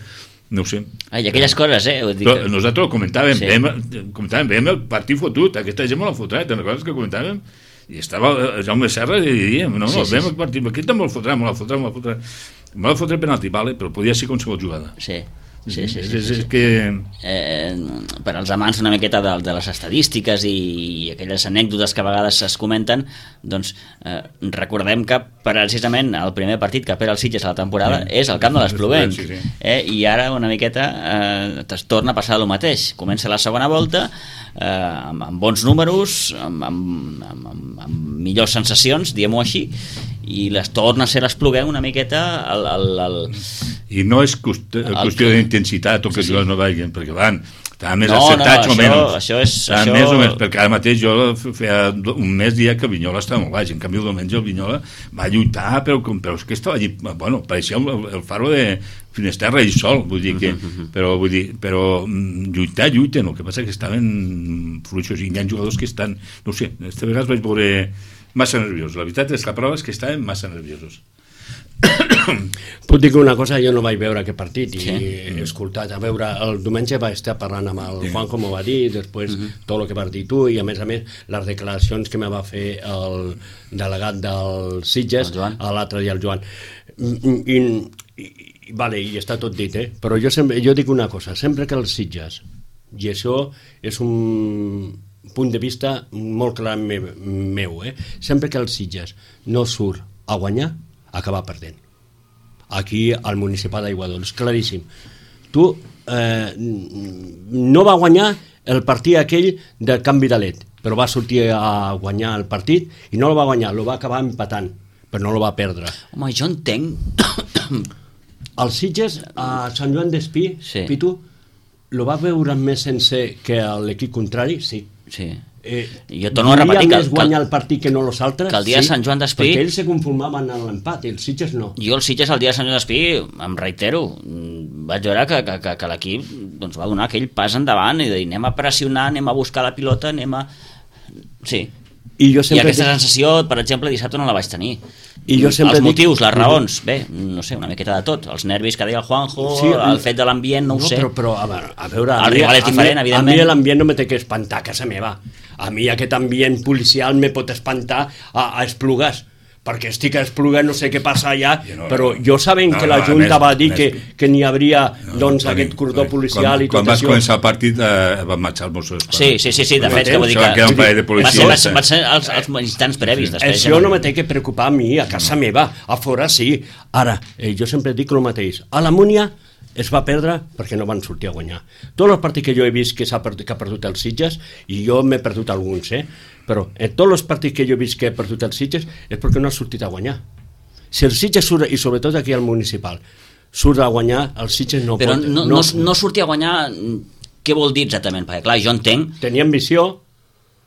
Speaker 2: no ho sé.
Speaker 1: Ah, i aquelles coses, eh? Vull dir
Speaker 2: però
Speaker 1: que...
Speaker 2: nosaltres ho comentàvem, sí. veiem, comentàvem, veiem el partit fotut, aquesta gent me l'ha fotrat, te'n recordes que comentàvem? I estava Jaume Serra i diem, no, no, sí, sí, veiem el partit, aquest també me'l fotrà, me l'ha fotrà, me l'ha fotrà, me l'ha fotrà penalti, vale, però podia ser qualsevol jugada.
Speaker 1: Sí. Sí, sí, sí,
Speaker 2: és,
Speaker 1: sí,
Speaker 2: és
Speaker 1: sí.
Speaker 2: que...
Speaker 1: Eh, per als amants una miqueta de, de les estadístiques i, i aquelles anècdotes que a vegades es comenten, doncs eh, recordem que precisament el primer partit que perd el Sitges a la temporada sí. és el camp de l'Espluguenc, sí, sí. eh, i ara una miqueta eh, es torna a passar el mateix, comença la segona volta eh, amb, amb bons números, amb, amb, amb, amb, amb millors sensacions, diguem-ho així, i les torna a ser l'Espluguenc una miqueta el, el, el...
Speaker 2: i no és qüestió, qüestió d'intensitat o que sí, sí. no vagin, perquè van estaven més
Speaker 1: no,
Speaker 2: acertats
Speaker 1: no,
Speaker 2: o menys
Speaker 1: això és,
Speaker 2: estaven
Speaker 1: això...
Speaker 2: més o menys, perquè ara mateix jo feia un mes dia que Vinyola estava molt baix, en canvi el diumenge el Vinyola va lluitar, però, però és que estava allí, bueno, pareixia el, el faro de Finesterra i sol, vull dir que però, vull dir, però lluitar, lluiten, el que passa que estaven fluixos i hi ha jugadors que estan, no sé, aquesta vegada vaig veure massa nerviosos, la veritat és que la prova és que estaven massa nerviosos.
Speaker 3: Puc dir que una cosa, jo no vaig veure aquest partit i
Speaker 1: sí.
Speaker 3: he escoltat, a veure, el diumenge vaig estar parlant amb el Juan, com ho va dir, després uh -huh. tot el que vas dir tu i a més a més les declaracions que me va fer el delegat del Sitges a l'altre dia, el Joan. I, i, i, vale, i està tot dit, eh? Però jo, sempre, jo dic una cosa, sempre que els Sitges, i això és un punt de vista molt clar meu, meu eh? Sempre que el Sitges no surt a guanyar, acaba perdent. Aquí al municipal d'Aiguadols, claríssim. Tu eh, no va guanyar el partit aquell del canvi de led, però va sortir a guanyar el partit i no el va guanyar, el va acabar empatant, però no el va perdre.
Speaker 1: Home, jo entenc...
Speaker 3: El Sitges a Sant Joan d'Espí,
Speaker 1: sí.
Speaker 3: Pitu, lo va veure més sencer que l'equip contrari, sí.
Speaker 1: Sí.
Speaker 3: Eh,
Speaker 1: jo torno a repetir que...
Speaker 3: més guanyar el partit que no los altres,
Speaker 1: que el dia
Speaker 3: sí,
Speaker 1: de Sant Joan d'Espí...
Speaker 3: perquè ells se conformaven en l'empat i el Sitges no.
Speaker 1: Jo el Sitges el dia de Sant Joan d'Espí, em reitero, vaig veure que, que, que, que l'equip doncs, va donar aquell pas endavant i dir, anem a pressionar, anem a buscar la pilota, anem a... Sí.
Speaker 3: I, jo sempre
Speaker 1: I aquesta
Speaker 3: dic...
Speaker 1: sensació, per exemple, dissabte no la vaig tenir.
Speaker 3: I jo sempre
Speaker 1: els motius,
Speaker 3: dic...
Speaker 1: les raons, bé, no sé, una miqueta de tot. Els nervis que deia el Juanjo, sí, el fet de l'ambient, no, no ho sé.
Speaker 3: Però, però a veure, a veure
Speaker 1: el rival és diferent,
Speaker 3: a mi,
Speaker 1: evidentment.
Speaker 3: A mi l'ambient no me té que espantar a casa meva. A mi aquest ambient policial me pot espantar a, a Esplugues, perquè estic a Esplugues, no sé què passa allà, no, però jo sabent no, que la Junta no, va dir més, que, que n'hi hauria no, doncs, no, aquest cordó policial
Speaker 2: quan,
Speaker 3: i tot
Speaker 2: quan vas
Speaker 3: això.
Speaker 2: començar el partit eh, van marxar els Mossos.
Speaker 1: Sí, sí, sí, sí, de fet, que vull dir que...
Speaker 2: que un parell de policies,
Speaker 1: va ser, va ser els, els instants previs. Després,
Speaker 3: això no me té que preocupar a mi, a casa no. meva, a fora sí. Ara, eh, jo sempre dic el mateix. A la Múnia es va perdre perquè no van sortir a guanyar. Tots els partits que jo he vist que, perdut, que ha perdut els Sitges, i jo m'he perdut alguns, eh? però en tots els partits que jo he vist que ha perdut els Sitges és perquè no ha sortit a guanyar. Si el Sitges surt, i sobretot aquí al municipal, surt a guanyar, el Sitges no
Speaker 1: però
Speaker 3: pot...
Speaker 1: Però no, no, no sortir a guanyar, què vol dir exactament? Perquè clar, jo entenc...
Speaker 3: Tenia ambició,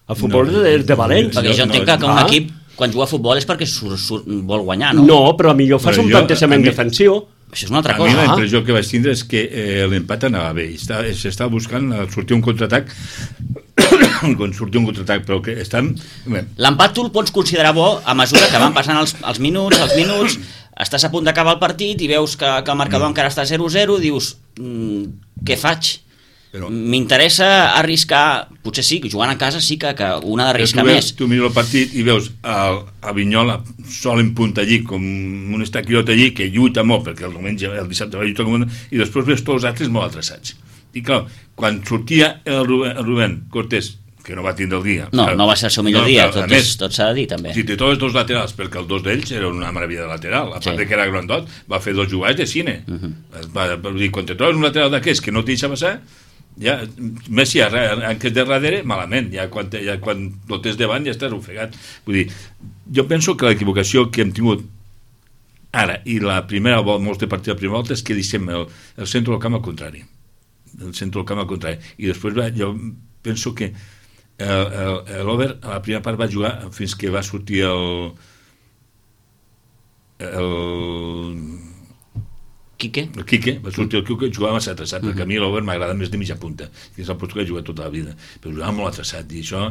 Speaker 3: el futbol no, és de valents.
Speaker 1: Perquè jo entenc no, que, que un ah. equip, quan juga a futbol és perquè sur, sur, vol guanyar, no?
Speaker 3: No, però millor fas però un jo, plantejament mi, defensiu.
Speaker 1: Això és una altra
Speaker 2: a
Speaker 1: cosa.
Speaker 2: A mi la impressió que vaig tindre és que eh, l'empat anava bé. S'estava buscant sortir un contraatac quan sortia un contraatac, però que estan...
Speaker 1: L'empat tu el pots considerar bo a mesura que van passant els, els minuts, els minuts, estàs a punt d'acabar el partit i veus que, que el marcador mm. encara està zero zero, dius, mm, què faig? Però... M'interessa arriscar, potser sí, jugant a casa sí que, que una d'arriscar més.
Speaker 2: Tu mires el partit i veus el, a Vinyola sol en punta allí, com un estaquilot allí, que lluita molt, perquè el diumenge, el dissabte va lluitar com un... i després veus tots els altres molt atreçats. I clar, quan sortia el Rubén, el Rubén Cortés, que no va tindre el dia...
Speaker 1: No,
Speaker 2: clar,
Speaker 1: no va ser el seu millor no, dia, tot,
Speaker 2: més,
Speaker 1: tot s'ha de dir també.
Speaker 2: Si té tots els dos laterals, perquè els dos d'ells eren una meravella de lateral, a part sí. de que era grandot, va fer dos jugades de cine. Uh -huh. va, va dir, quan te trobes un lateral d'aquests que no t'hi deixa passar, ja, més si en què és de darrere, malament, ja quan, ja, quan el tens davant ja estàs ofegat. Vull dir, jo penso que l'equivocació que hem tingut ara i la primera volta, molts de partits de primera volta, és que deixem el, el centre del camp al contrari. El centre del camp al contrari. I després va, jo penso que l'Over a la primera part va jugar fins que va sortir el el
Speaker 1: Quique?
Speaker 2: El Quique, va sortir el Quique, jugava massa atreçat, uh-huh. perquè a mi l'Over m'agrada més de mitja punta, que és el post que he jugat tota la vida, però jugava molt atreçat, i això,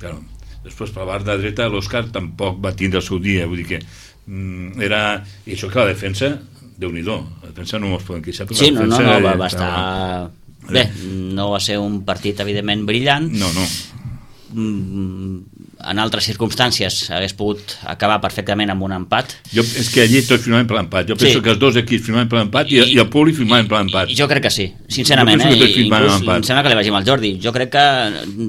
Speaker 2: clar, després per la part de dreta l'Òscar tampoc va tindre el seu dia, vull dir que mm, era, i això que la defensa, Déu-n'hi-do, la defensa no ens poden queixar,
Speaker 1: sí,
Speaker 2: la
Speaker 1: no,
Speaker 2: defensa...
Speaker 1: no, no, va, va estar... Bé, no va ser un partit evidentment brillant.
Speaker 2: No, no.
Speaker 1: En altres circumstàncies hagués pogut acabar perfectament amb un empat.
Speaker 2: Jo, és que allí tots firmaven per l'empat. Jo penso sí. que els dos equips firmaven per l'empat i, i el públic firmaven per l'empat.
Speaker 1: Jo crec que sí, sincerament. Eh? Inclús, em sembla que li vaig dir amb el Jordi. Jo crec que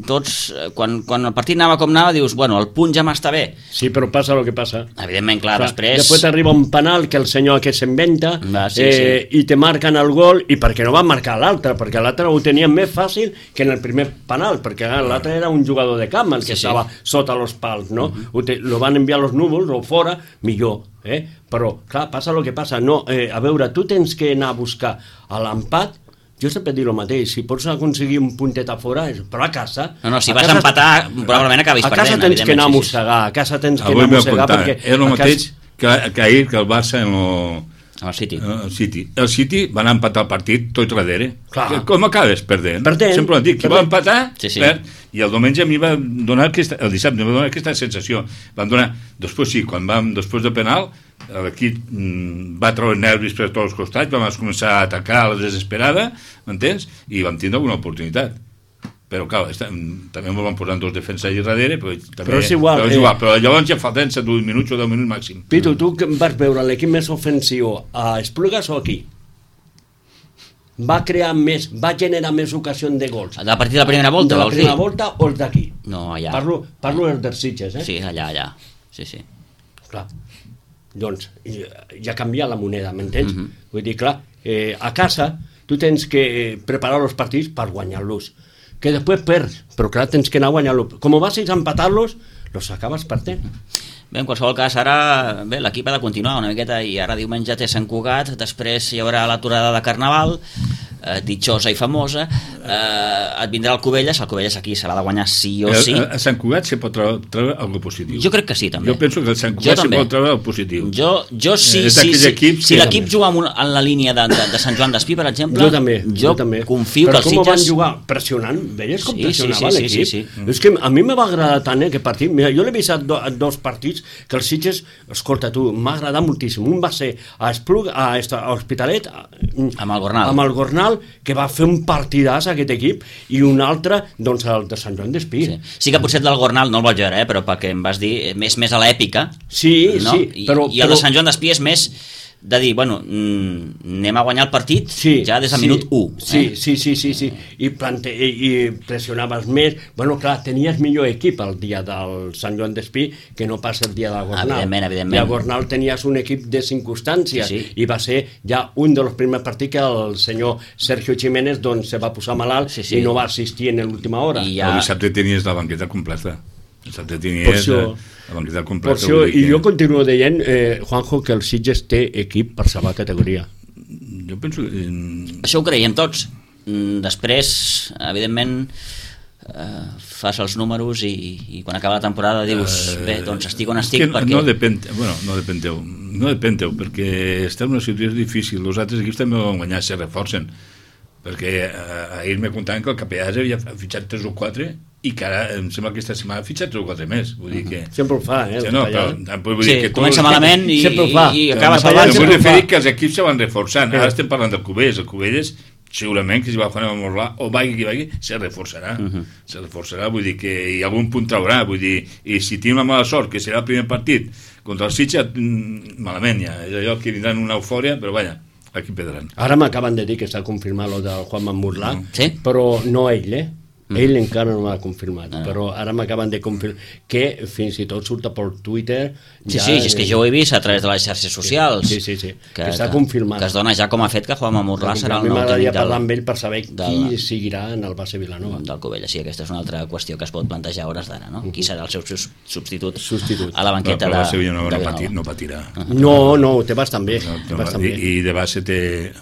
Speaker 1: tots, quan, quan el partit anava com anava, dius, bueno, el punt ja m'està bé.
Speaker 3: Sí, però passa el que passa.
Speaker 1: Evidentment, clar, clar després...
Speaker 3: Després arriba un penal que el senyor aquest s'inventa
Speaker 1: Va, sí,
Speaker 3: eh,
Speaker 1: sí.
Speaker 3: i te marquen el gol, i perquè no van marcar l'altre, perquè l'altre ho tenia més fàcil que en el primer penal, perquè l'altre era un jugador de camp, el que sí, estava sí. sota els pals, no? Uh-huh. Te, lo van enviar als núvols o fora, millor, eh? Però, clar, passa el que passa. No, eh, a veure, tu tens que anar a buscar a l'empat. Jo sempre dic el mateix, si pots aconseguir un puntet a fora, però a casa...
Speaker 1: No, no, si
Speaker 3: a
Speaker 1: vas
Speaker 3: casa,
Speaker 1: a empatar, probablement acabis perdent.
Speaker 3: A casa tens que anar a mossegar, a casa tens que
Speaker 2: Avui
Speaker 3: anar a mossegar, perquè...
Speaker 2: És el mateix casa... que, que ahir, que el Barça en lo...
Speaker 1: El City.
Speaker 2: El City. El City van empatar el partit tot darrere.
Speaker 3: Clar.
Speaker 2: Com acabes? Perdent.
Speaker 3: Perdent.
Speaker 2: Sempre ho dic, qui va empatar,
Speaker 1: sí, sí.
Speaker 2: perd. I el diumenge a mi va donar aquesta, el dissabte em va donar aquesta sensació. Van donar, després sí, quan vam, després de penal, l'equip mm, va treure nervis per tots els costats, vam començar a atacar a la desesperada, m'entens? I vam tindre una oportunitat. Però, clar, està, també ens van posar dos defenses allà darrere, però, també,
Speaker 3: però és igual.
Speaker 2: Però, és igual, eh... però llavors ja falten set minuts o deu minuts màxim.
Speaker 3: Pitu, tu vas veure l'equip més ofensiu a Esplugues o aquí? Va crear més, va generar més ocasions de gols.
Speaker 1: A partir de la primera volta,
Speaker 3: de la
Speaker 1: vols
Speaker 3: primera
Speaker 1: dir?
Speaker 3: volta o els d'aquí?
Speaker 1: No, allà.
Speaker 3: Parlo, parlo dels Sitges, eh?
Speaker 1: Sí, allà, allà. Sí, sí.
Speaker 3: Clar. Doncs ja ha canviat la moneda, m'entens?
Speaker 1: Mhm.
Speaker 3: Vull dir, clar, eh, a casa tu tens que preparar els partits per guanyar-los. Que després perds, però clar, tens que anar a guanyar-los. Com vas a empatar-los, los acabes perdent.
Speaker 1: Bé, en qualsevol cas, ara bé, l'equip ha de continuar una miqueta i ara diumenge té Sant Cugat, després hi haurà l'aturada de Carnaval, eh, ditxosa i famosa, eh, et vindrà el Cubelles, el Cubelles aquí s'ha de guanyar sí o sí.
Speaker 2: A, a Sant Cugat se pot treure, treure alguna positiu.
Speaker 1: Jo crec que sí, també.
Speaker 2: Jo penso que el Sant Cugat se pot treure el positiu.
Speaker 1: Jo, jo sí,
Speaker 2: eh,
Speaker 1: sí, sí.
Speaker 2: Equips
Speaker 1: si l'equip juga en, una, en la línia de, de, de Sant Joan d'Espí, per exemple,
Speaker 3: jo també,
Speaker 1: jo,
Speaker 3: jo també.
Speaker 1: confio
Speaker 3: però
Speaker 1: que els
Speaker 3: Sitges... Però com
Speaker 1: Sitges...
Speaker 3: van jugar? Pressionant? Veies com
Speaker 1: Sí,
Speaker 3: pressionava
Speaker 1: sí, sí,
Speaker 3: l'equip?
Speaker 1: sí, sí, sí.
Speaker 3: És que a mi me va agradar tant eh, aquest partit. Mira, jo l'he vist a, do, a dos partits que els Sitges, escolta tu, m'ha agradat moltíssim. Un va ser a Espluc, a, a Hospitalet, a,
Speaker 1: amb el Gornal.
Speaker 3: amb el Gornal, que va fer un partidàs aquest equip, i un altre, doncs, el de Sant Joan d'Espí.
Speaker 1: Sí. sí que potser del Gornal no el vaig veure, eh, però perquè em vas dir, més, més a l'èpica.
Speaker 3: Sí,
Speaker 1: no?
Speaker 3: sí. Però,
Speaker 1: I, I el
Speaker 3: però...
Speaker 1: de Sant Joan d'Espí és més de dir, bueno, mm, anem a guanyar el partit
Speaker 3: sí,
Speaker 1: ja des del
Speaker 3: sí,
Speaker 1: minut u.
Speaker 3: Sí,
Speaker 1: eh?
Speaker 3: sí, sí, sí, sí. I, plante, i, i pressionaves més. Bueno, clar, tenies millor equip el dia del Sant Joan d'Espí que no pas el dia del Gornal.
Speaker 1: Evidentment, evidentment.
Speaker 3: I al Gornal tenies un equip de circumstàncies
Speaker 1: sí, sí.
Speaker 3: i va ser ja un dels primers partits que el senyor Sergio Jiménez doncs, se va posar malalt sí, sí. i no va assistir en l'última hora.
Speaker 1: I ja...
Speaker 2: El dissabte tenies la banqueta completa. El dissabte tenies
Speaker 3: això,
Speaker 2: la banqueta completa.
Speaker 3: Per això,
Speaker 2: que...
Speaker 3: i jo continuo dient, eh, Juanjo, que el Sitges té equip per salvar categoria.
Speaker 2: Jo penso que...
Speaker 1: Això ho creiem tots. Després, evidentment, eh, fas els números i, i quan acaba la temporada dius, uh, bé, doncs estic on estic
Speaker 2: no,
Speaker 1: perquè...
Speaker 2: No depèn, bueno, no depèn teu, no depèn teu, perquè està en una situació difícil. Els altres equips també van guanyar, se reforcen. Perquè eh, ahir me contaven que el Capellàs havia fitxat tres o quatre i que ara em sembla que aquesta setmana ha fitxat tres o quatre més. Vull dir que...
Speaker 3: Sempre ho fa, eh?
Speaker 2: Sí, no, però, vull
Speaker 1: sí,
Speaker 2: dir que
Speaker 1: comença malament i,
Speaker 3: sempre ho fa.
Speaker 1: i, i acaba
Speaker 2: salvant.
Speaker 1: salvant.
Speaker 2: Vull referir que els equips se van reforçant. Ara estem parlant del Cubelles. El Cubelles, segurament que si va a jugar a Morlà o vagi qui vagi, se reforçarà. Uh -huh. Se reforçarà, vull dir que hi ha algun punt traurà. Vull dir, i si tinc la mala sort, que serà el primer partit contra el Sitges, malament ja. És allò que vindran una eufòria, però vaja, aquí perdran.
Speaker 3: Ara m'acaben de dir que està confirmat lo del Juan Mamurlà,
Speaker 1: sí?
Speaker 3: Però no ell, eh? Mm. Ell encara no l'ha confirmat,
Speaker 1: ah.
Speaker 3: però ara m'acaben de confirmar que fins i tot surta per Twitter.
Speaker 1: Sí,
Speaker 3: ja,
Speaker 1: sí, és que jo ho he vist a través de les xarxes socials.
Speaker 3: Sí, sí, sí,
Speaker 1: que,
Speaker 3: que està
Speaker 1: que,
Speaker 3: confirmat.
Speaker 1: Que es dona ja com a fet que Juan Mamurlà serà el nou tècnic del...
Speaker 3: A mi m'agradaria parlar amb ell per saber
Speaker 1: del,
Speaker 3: qui seguirà en el base Vilanova.
Speaker 1: Del Cubelles, sí, aquesta és una altra qüestió que es pot plantejar a hores d'ara, no? Qui serà el seu substitut,
Speaker 3: substitut.
Speaker 1: a la banqueta
Speaker 2: no,
Speaker 1: de,
Speaker 2: de Vilanova?
Speaker 1: de
Speaker 2: No,
Speaker 1: Vilanova.
Speaker 2: patir, no patirà.
Speaker 3: Uh -huh. No, no, té bastant bé.
Speaker 2: No,
Speaker 3: té
Speaker 2: no,
Speaker 3: bastant
Speaker 2: i,
Speaker 3: bé.
Speaker 2: I de base té...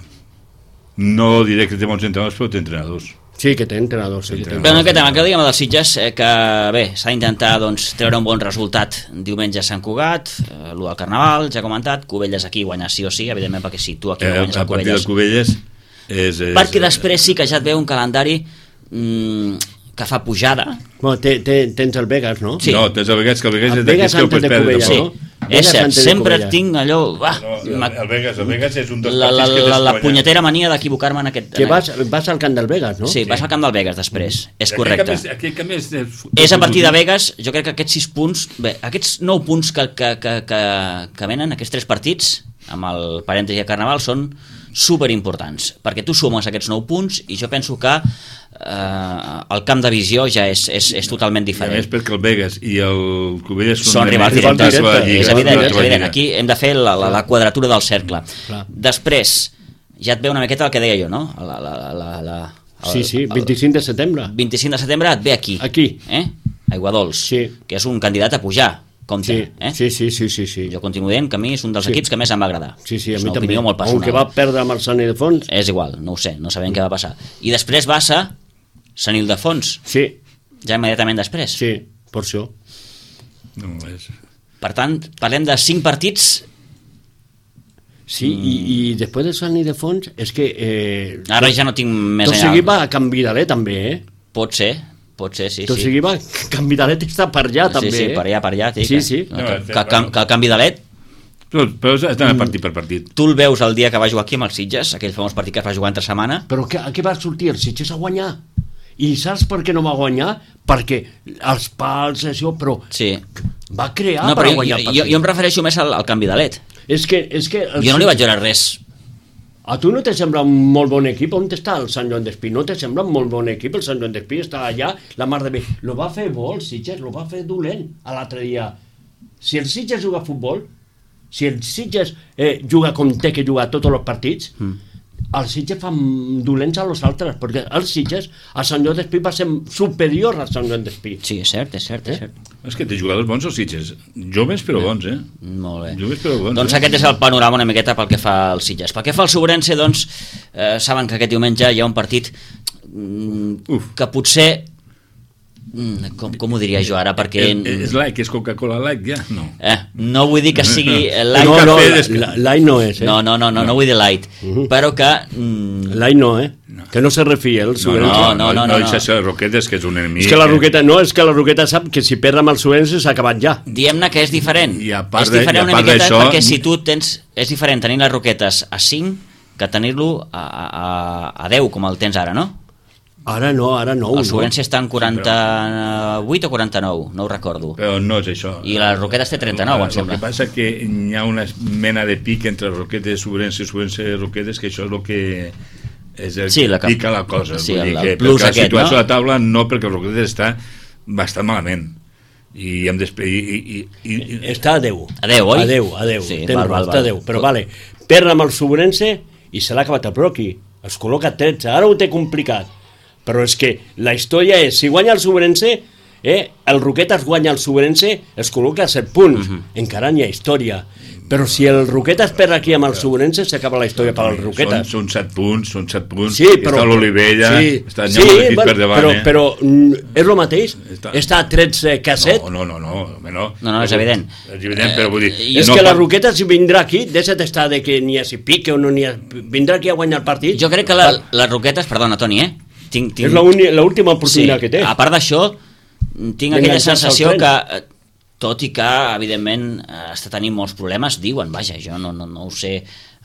Speaker 2: No diré que té bons entrenadors, però té entrenadors.
Speaker 3: Sí, que té entrenadors. Sí,
Speaker 1: Però en aquest tema, que diguem dels Sitges, eh, que bé, s'ha d'intentar doncs, treure un bon resultat diumenge a Sant Cugat, eh, el del Carnaval, ja he comentat, Cubelles aquí guanyar sí o sí, evidentment, perquè si tu aquí no
Speaker 2: Eh,
Speaker 1: guanyes
Speaker 2: a
Speaker 1: el
Speaker 2: partir
Speaker 1: Cubelles...
Speaker 2: del Cubelles és, és,
Speaker 1: perquè després sí que ja et ve un calendari mm, que fa pujada.
Speaker 3: Bueno, té, té, tens el Vegas, no?
Speaker 1: Sí.
Speaker 2: No, tens el Vegas, que el Vegas
Speaker 3: El
Speaker 2: és d'aquí
Speaker 3: Vegas
Speaker 2: que el pots
Speaker 3: antes de
Speaker 2: perdre.
Speaker 3: Cubelles,
Speaker 1: Sí,
Speaker 3: no?
Speaker 1: és
Speaker 3: Vegas
Speaker 1: cert,
Speaker 3: antes de
Speaker 1: sempre
Speaker 3: Cubelles.
Speaker 1: tinc allò... Ah,
Speaker 2: No, el, el Vegas, el Vegas és un dels
Speaker 1: la, la,
Speaker 2: partits que
Speaker 1: la,
Speaker 2: tens
Speaker 1: la
Speaker 2: guanyat.
Speaker 1: punyetera mania d'equivocar-me en aquest...
Speaker 3: Que
Speaker 1: en
Speaker 3: vas, vas al camp del Vegas, no?
Speaker 1: Sí, vas al camp del Vegas després, és correcte.
Speaker 2: Aquell camp és, és,
Speaker 1: És a partir de Vegas, jo crec que aquests sis punts, bé, aquests nou punts que, que, que, que, que venen, aquests tres partits, amb el parèntesi de Carnaval, són superimportants, perquè tu sumes aquests nou punts i jo penso que eh, el camp de visió ja és, és, és totalment diferent.
Speaker 2: I a més perquè el Vegas i el Cubelles
Speaker 1: són rivals directes, és evident, és evident. Aquí hem de fer la, la, la quadratura del cercle.
Speaker 3: Clar.
Speaker 1: Després, ja et ve una miqueta el que deia jo, no? La, la, la, la, el,
Speaker 3: Sí, sí, vint-i-cinc de setembre.
Speaker 1: vint-i-cinc de setembre et ve aquí.
Speaker 3: Aquí.
Speaker 1: Eh? Aiguadols,
Speaker 3: Sí.
Speaker 1: que és un candidat a pujar. Compte,
Speaker 3: Sí,
Speaker 1: eh?
Speaker 3: sí, sí, sí, sí, sí.
Speaker 1: Jo continuo dient que a mi és un dels
Speaker 3: Sí.
Speaker 1: equips que més em va agradar.
Speaker 3: Sí, sí, a
Speaker 1: és
Speaker 3: mi
Speaker 1: una
Speaker 3: també.
Speaker 1: opinió molt personal.
Speaker 3: Aunque va perdre amb el Sant Ildefons.
Speaker 1: És igual, no ho sé, no sabem què va passar. I després Bassa, Sant Ildefons,
Speaker 3: Sí,
Speaker 1: ja immediatament després.
Speaker 3: sí, per això.
Speaker 2: No, és...
Speaker 1: Per tant, parlem de cinc partits.
Speaker 3: Sí, mm. i, i després de Sant Ildefons és que... Eh,
Speaker 1: Ara ja no tinc més
Speaker 3: tot
Speaker 1: enllà.
Speaker 3: seguit va a Can Vidalet també, eh?
Speaker 1: Pot ser, pot ser, sí,
Speaker 3: Tot
Speaker 1: sí.
Speaker 3: seguit va... Can Vidalet està per allà també,
Speaker 1: Sí, sí,
Speaker 3: eh?
Speaker 1: per allà, per allà. Tic,
Speaker 3: Sí,
Speaker 1: eh?
Speaker 3: sí.
Speaker 1: Que,
Speaker 2: No,
Speaker 1: que, que, que, que el canvi de l'E T,
Speaker 2: Però, però estan partit per partit.
Speaker 1: tu el veus el dia que va jugar aquí amb els Sitges, aquell famós partit que es va jugar entre setmana.
Speaker 3: Però que, a què va sortir? El Sitges a guanyar. I saps per què no va guanyar? Perquè els pals, això, però
Speaker 1: Sí.
Speaker 3: va crear
Speaker 1: No,
Speaker 3: per
Speaker 1: però jo,
Speaker 3: guanyar el
Speaker 1: jo,
Speaker 3: partit.
Speaker 1: jo em refereixo més al, al canvi de l'E T.
Speaker 3: És que, és que el
Speaker 1: Jo no li
Speaker 3: Sitges-
Speaker 1: vaig veure res.
Speaker 3: A tu no te sembla un molt bon equip? On està el Sant Joan d'Espí? No te sembla un molt bon equip? El Sant Joan d'Espí està allà, la mar de bé. Lo va fer bo el Sitges, lo va fer dolent a l'altre dia. Si el Sitges juga a futbol, si el Sitges eh, juga com té que jugar tots els partits, mm. el Sitges fa dolents a los altres, perquè el Sitges a Sant Joan d'Espí va ser superior a Sant Joan d'Espí.
Speaker 1: Sí, és cert, és cert, eh? és cert.
Speaker 2: És que té jugadors bons els Sitges, joves però bons, eh?
Speaker 1: Molt bé.
Speaker 2: Joves però bons,
Speaker 1: doncs
Speaker 2: eh?
Speaker 1: aquest és el panorama una miqueta pel que fa al Sitges. Pel que fa al Sobrense, doncs, eh, saben que aquest diumenge hi ha un partit mm, que potser... Com, com ho diria jo ara, perquè...
Speaker 2: És, és like, és Coca-Cola like, ja? No.
Speaker 1: Eh, no vull dir que sigui light.
Speaker 3: No, no, light no és, eh?
Speaker 1: No, no, no, no, no vull dir light, uh-huh. però que... Mm...
Speaker 3: Light no, eh? No. Que no se refia el Sobrense.
Speaker 2: No, no, no, no, no, no, no. Les Roquetes, que és un enemic.
Speaker 3: És que la Roqueta, no, és que la Roqueta sap que si perd amb el Sobrense s'ha acabat ja.
Speaker 1: Diem-ne que és diferent.
Speaker 2: I a part
Speaker 1: és diferent
Speaker 2: de,
Speaker 1: una miqueta
Speaker 2: això...
Speaker 1: perquè si tu tens... És diferent tenir les Roquetes a cinc que tenir-lo a, a, a deu, com el tens ara, no?
Speaker 3: Ara no, ara no.
Speaker 1: El Sobrense està en quaranta-vuit o quaranta-nou, no ho recordo.
Speaker 2: Però no és això.
Speaker 1: I la Roquetes té trenta-nou, em sembla.
Speaker 2: El que passa és que hi ha una mena de pic entre Roquetes, Sobrense i Sobrense Roquetes, que això és el que és el
Speaker 1: sí,
Speaker 2: que
Speaker 1: la
Speaker 2: pica la cosa.
Speaker 1: Sí,
Speaker 2: Vull
Speaker 1: el,
Speaker 2: dir que,
Speaker 1: el plus
Speaker 2: perquè
Speaker 1: aquest,
Speaker 2: la situació
Speaker 1: no?
Speaker 2: a la taula no, perquè el Roquetes està bastant malament. I hem d'esperar... I, i, i, i...
Speaker 3: Està a deu.
Speaker 1: A deu, oi?
Speaker 3: A deu, a deu.
Speaker 1: Sí,
Speaker 3: Tens
Speaker 1: val, val,
Speaker 3: està
Speaker 1: val.
Speaker 3: a deu. Però vale, perd amb el Sobrense i se l'ha acabat el Proqui. Es col·loca tretze. Ara ho té complicat. Però és que la història és, si guanya el Sobrense, eh, el Roquetes guanya el Sobrense, es col·loca a set punts. Uh-huh. Encara n'hi ha història. Però si el Roquetes perd aquí amb el Sobrense, s'acaba la història per al Roquetes.
Speaker 2: Són, són set punts, són set punts.
Speaker 3: Sí, però,
Speaker 2: està l'Olivella,
Speaker 3: sí,
Speaker 2: està
Speaker 3: sí,
Speaker 2: sí,
Speaker 3: bueno,
Speaker 2: per davant.
Speaker 3: Però,
Speaker 2: eh?
Speaker 3: però és el mateix? Està, està a tretze que a set?
Speaker 2: No, no, no, no, no.
Speaker 1: No, no, és evident.
Speaker 2: És evident, però vull dir...
Speaker 3: Eh, és
Speaker 2: no
Speaker 3: que la
Speaker 2: pot...
Speaker 3: Roquetes vindrà aquí, de set està de que n'hi ha si pique o no n'hi ha... Vindrà aquí a guanyar el partit?
Speaker 1: Jo crec que la, les Roquetes, perdona, Toni, eh? Tinc, tinc...
Speaker 3: És l'última oportunitat
Speaker 1: sí,
Speaker 3: que té.
Speaker 1: A part d'això, tinc aquella sensació que, tot i que, evidentment, està tenint molts problemes, diuen, vaja, jo no, no, no ho sé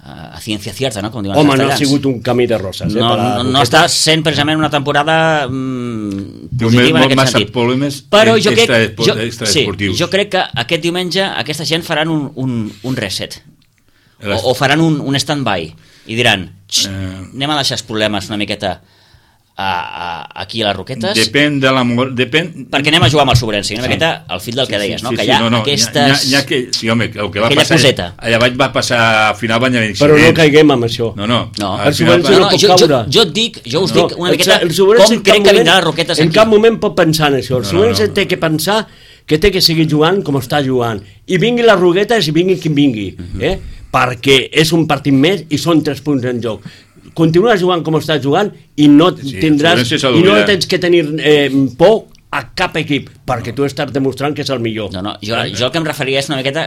Speaker 1: a ciència cierta, no? Com diuen
Speaker 3: Home,
Speaker 1: els
Speaker 3: no ha sigut un camí de roses. Eh,
Speaker 1: no, no, no està sent precisament una temporada mm, positiva en aquest
Speaker 2: massa
Speaker 1: sentit.
Speaker 2: Problemes
Speaker 1: però jo crec,
Speaker 2: extra,
Speaker 1: jo,
Speaker 2: extra
Speaker 1: sí,
Speaker 2: esportius.
Speaker 1: jo crec que aquest diumenge aquesta gent faran un, un, un reset. O, o faran un, un stand-by i diran, eh... anem a deixar els problemes una miqueta a, a, aquí a les Roquetes.
Speaker 2: Depèn de l'amor... Depèn...
Speaker 1: Perquè anem a jugar amb el Sobrense, una sí. miqueta al fil del que deies,
Speaker 2: sí,
Speaker 1: no?
Speaker 2: Sí,
Speaker 1: que hi ha
Speaker 2: sí, no, no,
Speaker 1: aquestes...
Speaker 2: Hi ha, hi ha que, sí, home, el que va
Speaker 1: aquella
Speaker 2: passar...
Speaker 1: coseta.
Speaker 2: Allà baix va passar, al final van haver
Speaker 3: Però no caiguem amb això.
Speaker 2: No, no.
Speaker 1: no.
Speaker 3: El Sobrense no, no, no pot
Speaker 1: jo,
Speaker 3: caure.
Speaker 1: Jo, jo et dic, jo us
Speaker 3: no,
Speaker 1: dic una miqueta
Speaker 3: el, el
Speaker 1: com crec que vindran les Roquetes aquí.
Speaker 3: En cap moment pot pensar en això. El
Speaker 2: no,
Speaker 3: Sobrense
Speaker 2: no, no.
Speaker 3: té que pensar que té que seguir jugant com està jugant. I vingui les Roquetes i vingui qui vingui. Uh-huh. eh? Perquè és un partit més i són tres punts en joc. Continua jugant com està jugant i no
Speaker 2: sí,
Speaker 3: tindràs i no tens que tenir eh, por a cap equip, perquè tu estàs demostrant que és el millor.
Speaker 1: No, no, jo, jo el que em referia és una miqueta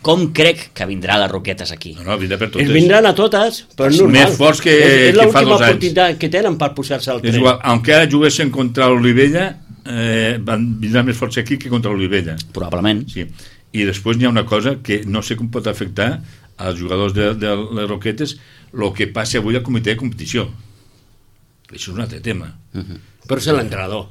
Speaker 1: com crec que vindrà les Roquetes aquí.
Speaker 2: No, no, vindrà per totes.
Speaker 3: Es vindran a totes, però és normal.
Speaker 2: Més forts que,
Speaker 3: és, és
Speaker 2: que fa dos anys. És
Speaker 3: l'última oportunitat que tenen per posar-se al tren.
Speaker 2: És igual, aunque ara juguessin contra l'Olivella, eh, vindran més forts aquí que contra l'Olivella.
Speaker 1: Probablement.
Speaker 2: Sí. I després hi ha una cosa que no sé com pot afectar als jugadors de, de les Roquetes el que passa avui al comitè de competició. Això és un altre tema.
Speaker 3: Uh-huh. Però és l'entrenador.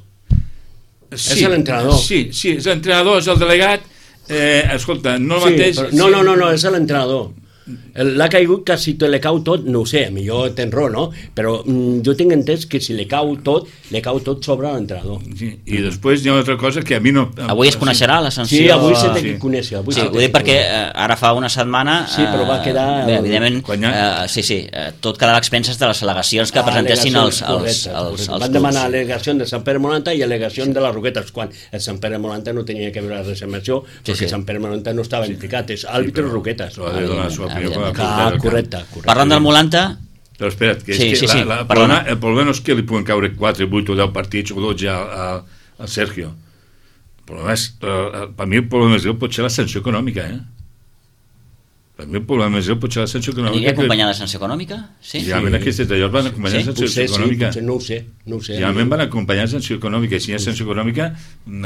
Speaker 2: Sí,
Speaker 3: és l'entrenador.
Speaker 2: Sí, sí, és l'entrenador, és el delegat. Eh, escolta, no el
Speaker 3: sí,
Speaker 2: mateix...
Speaker 3: Però, no, sí. no, no, no, és l'entrenador. L'ha caigut que si te le cau tot, no ho sé, millor tens raó, no? Però mm, jo tinc entès que si le cau tot, le cau tot sobre l'entrenador.
Speaker 2: Sí, i després hi ha una altra cosa que a mi no...
Speaker 1: Avui es coneixerà la sanció...
Speaker 3: Sí, avui s'ha de sí. conèixer. Avui
Speaker 1: sí, ho dic perquè eh, ara fa una setmana...
Speaker 3: Sí, però va quedar...
Speaker 1: Bé, evidentment,
Speaker 2: ha...
Speaker 1: eh, sí, sí, eh, tot quedarà a expenses de les al·legacions que ah, presentessin els, els, correcte, els, els, els
Speaker 3: van demanar al·legació de Sant Pere Molanta i al·legació sí. de les Roquetes, quan el Sant Pere Molanta no tenia que veure res amb això, perquè sí, sí. Sant Pere Molanta no estava sí. implicat, és àrbitre sí, Roquetes.
Speaker 1: Correcte, correcte. Parlant del Molanta...
Speaker 2: Però espera't, que és
Speaker 1: sí,
Speaker 2: que
Speaker 1: sí,
Speaker 2: la,
Speaker 1: sí,
Speaker 2: la, el, problema, el problema no és que li puguen caure quatre, vuit o deu partits o dotze al, al Sergio. El problema és, eh, per mi el problema és pot ser la sanció econòmica, eh? Per mi el problema és pot ser la sanció econòmica.
Speaker 1: Aniria acompanyada de sanció econòmica? Sí.
Speaker 2: Realment sí. Aquests detalls van acompanyar de sí? sanció
Speaker 3: potser,
Speaker 2: econòmica.
Speaker 3: Sí, no ho sé, no ho sé.
Speaker 2: Realment van acompanyar de sanció econòmica. Si hi ha sanció econòmica,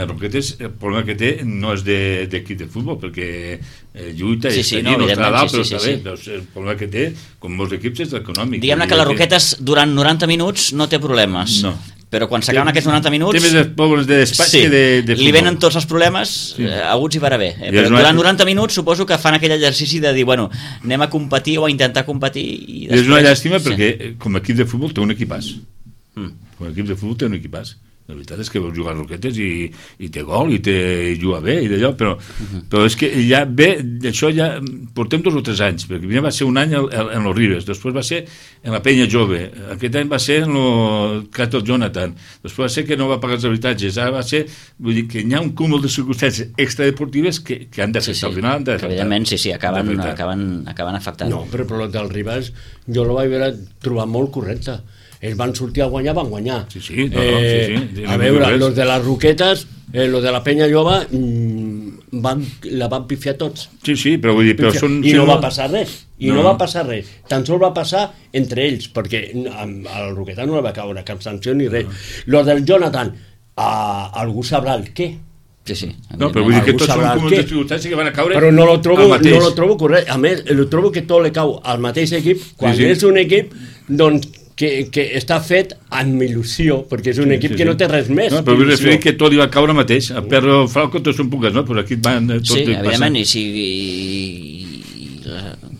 Speaker 2: Roquetes, el problema que té no és d'equip de, de futbol, perquè eh, lluita
Speaker 1: sí,
Speaker 2: i
Speaker 1: sí,
Speaker 2: està allí,
Speaker 1: no,
Speaker 2: no està dalt,
Speaker 1: sí,
Speaker 2: però
Speaker 1: sí,
Speaker 2: està
Speaker 1: sí,
Speaker 2: bé.
Speaker 1: sí.
Speaker 2: Doncs el problema que té, com molts equips, és econòmic.
Speaker 1: Diguem-ne que les Roquetes durant noranta minuts no té problemes.
Speaker 2: No.
Speaker 1: però quan s'acaben aquests noranta minuts...
Speaker 2: Té més problemes de despatx
Speaker 1: sí,
Speaker 2: que de, de futbol.
Speaker 1: Li venen tots els problemes sí. eh, aguts i per haver. Eh? Però durant noranta minuts suposo que fan aquell exercici de dir, bueno, anem a competir o a intentar competir... I després...
Speaker 2: És una llàstima perquè
Speaker 1: sí.
Speaker 2: com a equip de futbol té un equipàs.
Speaker 1: Mm.
Speaker 2: Com a equip de futbol té un equipàs. La veritat és que veus jugar a Roquetes i, i té gol i, té, i juga bé i d'allò, però, uh-huh. però és que ja bé, això ja portem dos o tres anys, perquè primer va ser un any en, en los Ribes, després va ser en la Penya Jove, aquest any va ser en el cas del Jonathan, després va ser que no va pagar els habitatges, ara va ser, vull dir que hi ha un cúmul de circumstàncies extradeportives que, que han d'afectar, sí, sí. al final han d'afectar.
Speaker 1: Evidentment, sí, sí, acaben, acaben, acaben afectant.
Speaker 3: No, però per del Ribes jo la vaig veure trobar molt correcte. Ells van sortir a guanyar, van guanyar.
Speaker 2: Sí, sí, no, no, eh, sí, sí.
Speaker 3: A veure, los de les Roquetes, eh, los de la Penya Lloba, mmm, van, la van pifiar tots.
Speaker 2: Sí, sí, però vull dir... Però són,
Speaker 3: I
Speaker 2: si
Speaker 3: no,
Speaker 2: no
Speaker 3: va passar res. I no. no va passar res. Tan sols va passar entre ells, perquè al Roqueta no li va caure cap sanció ni res. No. Los del Jonathan, a, algú sabrà el què.
Speaker 1: Sí, sí.
Speaker 2: No, però vull dir que tots són comuns de circumstàncies que van a caure
Speaker 3: però no lo trobo, no lo trobo correcte. A més, lo trobo que tot li cau al mateix equip, quan sí, sí. és un equip, doncs, que, que està fet amb il·lusió, perquè és un equip sí, sí, que no té res més.
Speaker 2: No, però vull referir que tot li va caure mateix. A Perro Falco tots són pugues, no? Però aquí van tot
Speaker 1: sí, evidentment, i si... I,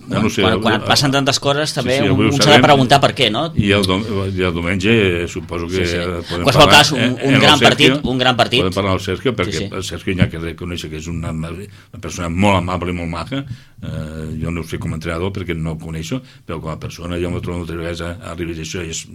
Speaker 2: no, no sé,
Speaker 1: quan, quan et passen tantes coses també
Speaker 2: sí, sí,
Speaker 1: un, un s'ha de preguntar per què, no?
Speaker 2: I el, dom i el diumenge suposo que
Speaker 1: sí, sí.
Speaker 2: podem
Speaker 1: qualsevol
Speaker 2: parlar
Speaker 1: cas, un, un gran Sergio, partit un gran partit
Speaker 2: podem parlar del Sergio perquè
Speaker 1: sí, sí.
Speaker 2: el Sergio hi ha que reconèixer que és una, una persona molt amable i molt maca, eh, jo no ho sé com a entrenador perquè no el coneixo, però com a persona jo m'ho trobo moltes vegades a, a Ribes, això és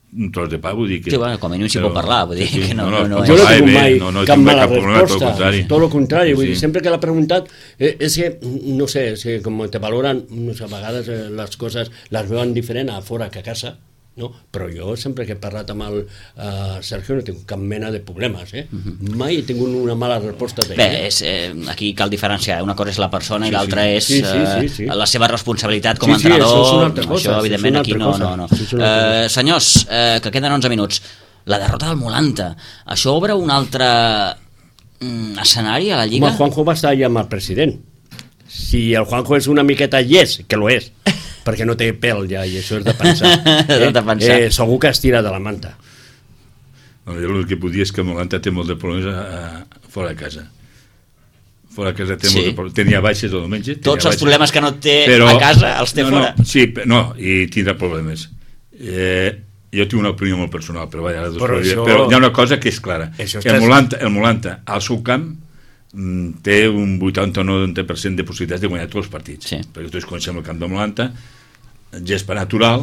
Speaker 2: un tros de pa, vull dir que...
Speaker 1: Sí, bueno, com a mínim s'hi pot parlar, vull dir
Speaker 2: sí,
Speaker 1: que no...
Speaker 2: no, no,
Speaker 1: no, no
Speaker 3: jo no
Speaker 1: és...
Speaker 3: he tingut mai
Speaker 2: no, no
Speaker 3: cap mala
Speaker 2: cap problema,
Speaker 3: resposta, tot el contrari, vull
Speaker 2: sí,
Speaker 3: dir,
Speaker 2: sí.
Speaker 3: sempre que l'ha preguntat, eh, és que, no sé, és que com te valoren, no sé, a vegades eh, les coses les veuen diferent a fora que a casa, no? Però jo sempre que he parlat amb el uh, Sergio no tinc cap mena de problemes, eh? Uh-huh. Mai he tingut una mala resposta d'ell.
Speaker 1: Bé, és, eh, aquí cal diferenciar, una cosa és la persona sí, i l'altra sí. és sí, sí, sí, sí. Eh, la seva responsabilitat com a
Speaker 3: sí, sí,
Speaker 1: entrenador,
Speaker 3: això, és una altra cosa,
Speaker 1: això evidentment aquí no, no, no.
Speaker 3: Sí,
Speaker 1: eh, senyors, eh, que queden onze minuts, la derrota del Molanta, això obre un altre mm, escenari a la Lliga?
Speaker 3: Home, el Juanjo va estar allà amb el president. Si el Juanjo és una miqueta yes, que lo és, perquè no té pèl ja, i això és de pensar.
Speaker 1: Eh? de pensar.
Speaker 3: Eh, segur que es tira de la manta.
Speaker 2: No, jo el que puc dir és que Molanta té molt de problemes a, a, fora de casa. Fora de casa té sí. molt de problemes. Tenia baixes el diumenge.
Speaker 1: Tots els
Speaker 2: baixes,
Speaker 1: problemes que no té
Speaker 2: però,
Speaker 1: a casa els té
Speaker 2: no,
Speaker 1: fora.
Speaker 2: No, sí, no, i tindrà problemes. Eh, jo tinc una opinió molt personal, però, vaja, però, això... però hi ha una cosa que és clara. Això el, Molanta, el Molanta, al seu camp, té un vuitanta o noranta per cent de possibilitats de guanyar tots els partits. Sí. Perquè tots coneixem el camp de Molanta, gespa natural,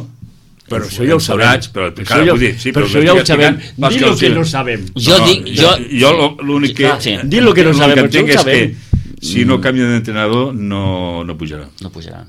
Speaker 3: però això ja ho sabem.
Speaker 2: Però,
Speaker 3: però això, ja, dir, sí, però però això ja ho sabem. Di lo que no sabem.
Speaker 1: Jo
Speaker 2: no,
Speaker 1: dic... Jo,
Speaker 2: jo l'únic que...
Speaker 1: Sí.
Speaker 3: Di lo que no sabem,
Speaker 2: però això ho sabem. Si no canvia d'entrenador, no, no pujarà.
Speaker 1: No pujarà.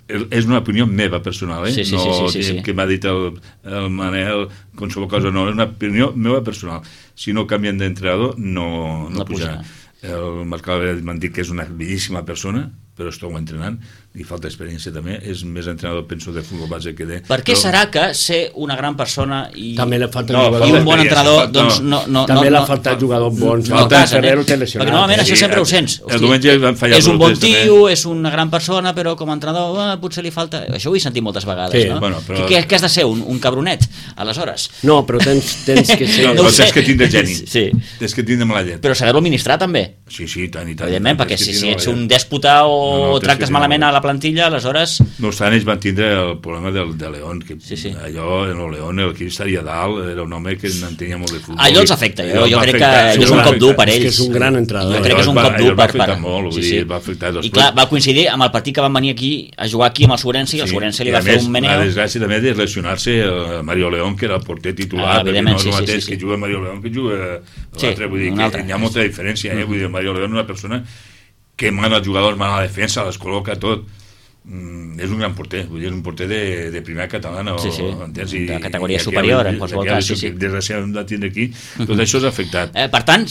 Speaker 2: És una opinió meva personal, eh?
Speaker 1: Sí, sí,
Speaker 2: no
Speaker 1: sí, sí, sí, sí.
Speaker 2: que m'ha dit el, el Manel, qualsevol cosa, no, és una opinió meva personal. Si no canvien d'entrenador, no, no, no pujarà. pujarà. El Marc Alvarez m'han dit que és una bellíssima persona, però estou entrenant i falta experiència també, és més entrenador penso de futbol base que de...
Speaker 1: Per què
Speaker 2: però...
Speaker 1: serà que ser una gran persona i,
Speaker 3: també falta
Speaker 1: no,
Speaker 3: jugador,
Speaker 1: i un bon entrenador
Speaker 2: no,
Speaker 1: doncs no, no,
Speaker 3: també
Speaker 1: no,
Speaker 3: l'ha faltat no, jugador bon,
Speaker 1: no,
Speaker 3: falta
Speaker 1: no,
Speaker 3: Ferrero té lesionat,
Speaker 1: perquè normalment
Speaker 3: eh?
Speaker 1: això sempre ho sents.
Speaker 2: Hosti, el diumenge van fallar
Speaker 1: és un bon tio, és una gran persona, però com a entrenador eh, potser li falta... Això ho he sentit moltes vegades,
Speaker 3: sí,
Speaker 1: no?
Speaker 2: Bueno, però...
Speaker 1: Què, què has de ser, un, un cabronet, aleshores?
Speaker 3: No, però tens, tens que ser...
Speaker 2: No,
Speaker 1: no
Speaker 2: però tens que tindre geni,
Speaker 1: sí.
Speaker 2: tens que tindre mala llet.
Speaker 1: Però saber-lo administrar també.
Speaker 2: Sí, sí, tant i tant.
Speaker 1: Evidentment, perquè si, si ets un dèspota o no, no, tractes malament a la plantilla, aleshores...
Speaker 2: No obstant, ells van tindre el problema del, de León, que
Speaker 1: sí, sí.
Speaker 2: allò, en el León, el que estaria dalt, era un home que n'entenia molt de futbol.
Speaker 1: Allò els afecta, jo, jo crec que és un cop dur per ells.
Speaker 3: És que és un gran entrenador.
Speaker 1: Jo crec que és un cop dur per...
Speaker 2: Va afectar molt, sí, sí. Va afectar dos.
Speaker 1: I clar, va coincidir amb el partit que van venir aquí a jugar aquí amb el Surense, i el Surense li va fer un meneo.
Speaker 2: La desgràcia també de lesionar-se el Mario León, que era el porter titular,
Speaker 1: ah,
Speaker 2: perquè no és
Speaker 1: sí,
Speaker 2: el mateix
Speaker 1: sí, sí.
Speaker 2: que juga Mario León que juga l'altre, vull dir que hi ha molta diferència, eh? Vull dir, Mario León és una persona que mana els jugadors, mana la defensa, les col·loca tot. Mm, és un gran porter, vull dir, és un porter de, de primera catalana
Speaker 1: sí, sí.
Speaker 2: o, entens? I,
Speaker 1: de categoria i superior en qualsevol cas sí, sí.
Speaker 2: Desgraciadament de tindre aquí tot uh-huh. això és afectat
Speaker 1: eh, per tant,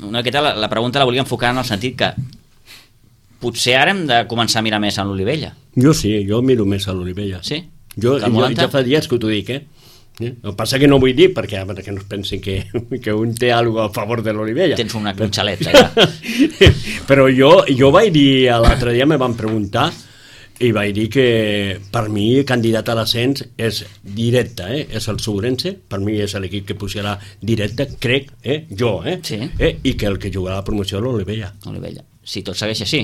Speaker 1: una miqueta la, la pregunta la volia enfocar en el sentit que potser ara hem de començar a mirar més a l'Olivella.
Speaker 3: Jo sí, jo miro més a l'Olivella.
Speaker 1: Sí?
Speaker 3: Jo, jo ja fa dies que t'ho dic, eh? El que passa que no vull dir perquè, perquè no es pensin que, que un té alguna a favor de l'Olivella.
Speaker 1: Tens una, un xalet allà.
Speaker 3: Però jo, jo vaig dir l'altre dia, me van preguntar i vaig dir que per mi candidat a l'ascens és directe, eh? És el Segurense, per mi és l'equip que pujarà directe, crec, eh? jo, eh?
Speaker 1: Sí.
Speaker 3: eh? I que el que jugarà la promoció és l'Olivella.
Speaker 1: Olivella. Si tot segueix així.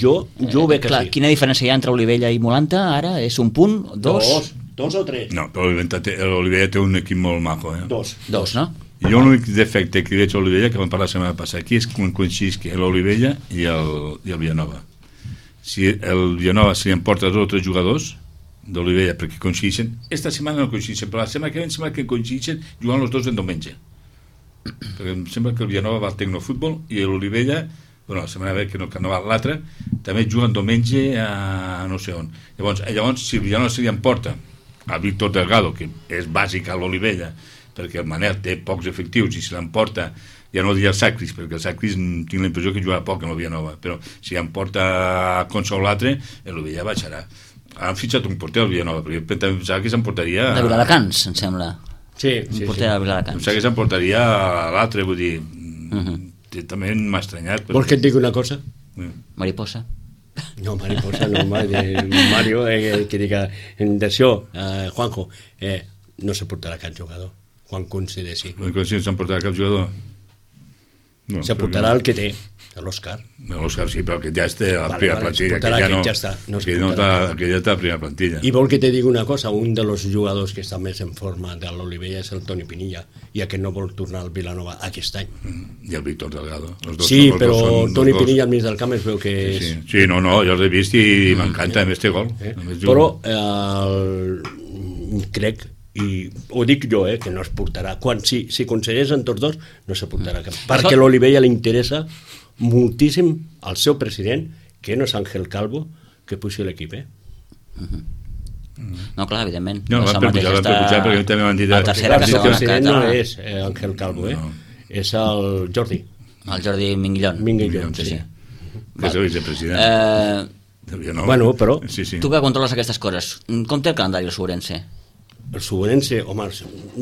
Speaker 3: Jo, jo ho veig
Speaker 1: Clar,
Speaker 3: així.
Speaker 1: quina diferència hi ha entre Olivella i Molanta ara? És un punt? Dos?
Speaker 3: Dos, dos o tres?
Speaker 2: No, però l'Olivella té un equip molt maco, eh?
Speaker 3: Dos.
Speaker 1: Dos, no?
Speaker 2: Jo l'únic defecte que veig a l'Olivella, que vam parlar la setmana passada aquí, és quan coincidís que l'Olivella i el, i el Villanova. Si el Villanova se li emporta dos o tres jugadors d'Olivella perquè coincideixen, esta setmana no coincideixen, però la setmana que ve em sembla que coincideixen jugant els dos en diumenge. Perquè em sembla que el Villanova va al Tecnofutbol i l'Olivella, bueno, la setmana que ve que no, que no va l'altre, també juguen diumenge a no sé on. Llavors, llavors si el Villanova se li emporta a Víctor Delgado, que és bàsic a l'Olivella, perquè el Manel té pocs efectius i se l'emporta, ja no diria el Sacris, perquè el Sacris tinc la impressió que jugarà poc en el Villanova, però si em porta a Conso o l'altre, l'Olivella baixarà. Han fitxat un porter al Villanova, perquè pensava que s'emportaria...
Speaker 1: De Viladecans, em sembla.
Speaker 3: Sí,
Speaker 1: Un
Speaker 3: sí,
Speaker 1: porter
Speaker 3: sí.
Speaker 1: de Viladecans.
Speaker 2: Pensava que s'emportaria a l'altre, vull dir...
Speaker 1: Uh-huh.
Speaker 2: També m'ha estranyat.
Speaker 3: Vols que et digui una cosa?
Speaker 1: Mariposa.
Speaker 3: No, mariposa, no, Mario, eh, que diga, d'això, eh, Juanjo, eh, no se portarà cap jugador, quan consideri.
Speaker 2: Si s'emportarà cap jugador? No,
Speaker 3: se portarà el que té, l'Òscar.
Speaker 2: L'Òscar sí, però que ja està a la
Speaker 3: Vale,
Speaker 2: primera
Speaker 3: vale,
Speaker 2: plantilla.
Speaker 3: es portarà,
Speaker 2: que ja
Speaker 3: aquest
Speaker 2: no,
Speaker 3: ja està, no es
Speaker 2: que no
Speaker 3: portarà.
Speaker 2: està, que ja està a la primera plantilla.
Speaker 3: I vol que te digui una cosa, un dels jugadors que està més en forma de l'Olivella és el Toni Pinilla, i aquest no vol tornar al Vilanova aquest any.
Speaker 2: Mm, I el Víctor Delgado. Els dos,
Speaker 3: Sí,
Speaker 2: els
Speaker 3: però
Speaker 2: dos són,
Speaker 3: Toni
Speaker 2: els dos.
Speaker 3: Pinilla al mig del camp es veu que
Speaker 2: Sí,
Speaker 3: és...
Speaker 2: sí. sí, no, no, jo els he vist i m'encanta, a més té gol.
Speaker 3: Eh?
Speaker 2: A més juga.
Speaker 3: Però eh, el... crec, i ho dic jo, eh, que no es portarà. Quan, si, si aconsegueixen tots dos, no se portarà cap. Perquè a l'Olivella li interessa moltíssim al seu president, que no és Ángel Calvo, que pugi l'equip, eh?
Speaker 1: No, clar, evidentment.
Speaker 2: No,
Speaker 1: és
Speaker 2: van
Speaker 1: el
Speaker 2: per
Speaker 1: mateix
Speaker 2: pujar, van per
Speaker 1: estar
Speaker 2: pujar, perquè també m'han dit...
Speaker 1: a tercera
Speaker 3: Clar,
Speaker 1: que
Speaker 3: el
Speaker 1: segona
Speaker 3: president no
Speaker 1: catalana.
Speaker 3: és eh, Ángel Calvo, eh?
Speaker 2: No.
Speaker 3: És el Jordi.
Speaker 1: El Jordi Minguillón.
Speaker 3: Minguillón,
Speaker 1: sí,
Speaker 3: sí.
Speaker 1: sí.
Speaker 2: Que és el vicepresident.
Speaker 1: Eh,
Speaker 2: no.
Speaker 3: Bueno, però-
Speaker 2: Sí, sí.
Speaker 1: tu que controles aquestes coses, com té el calendari el Sobrense?
Speaker 3: El Subenense, home,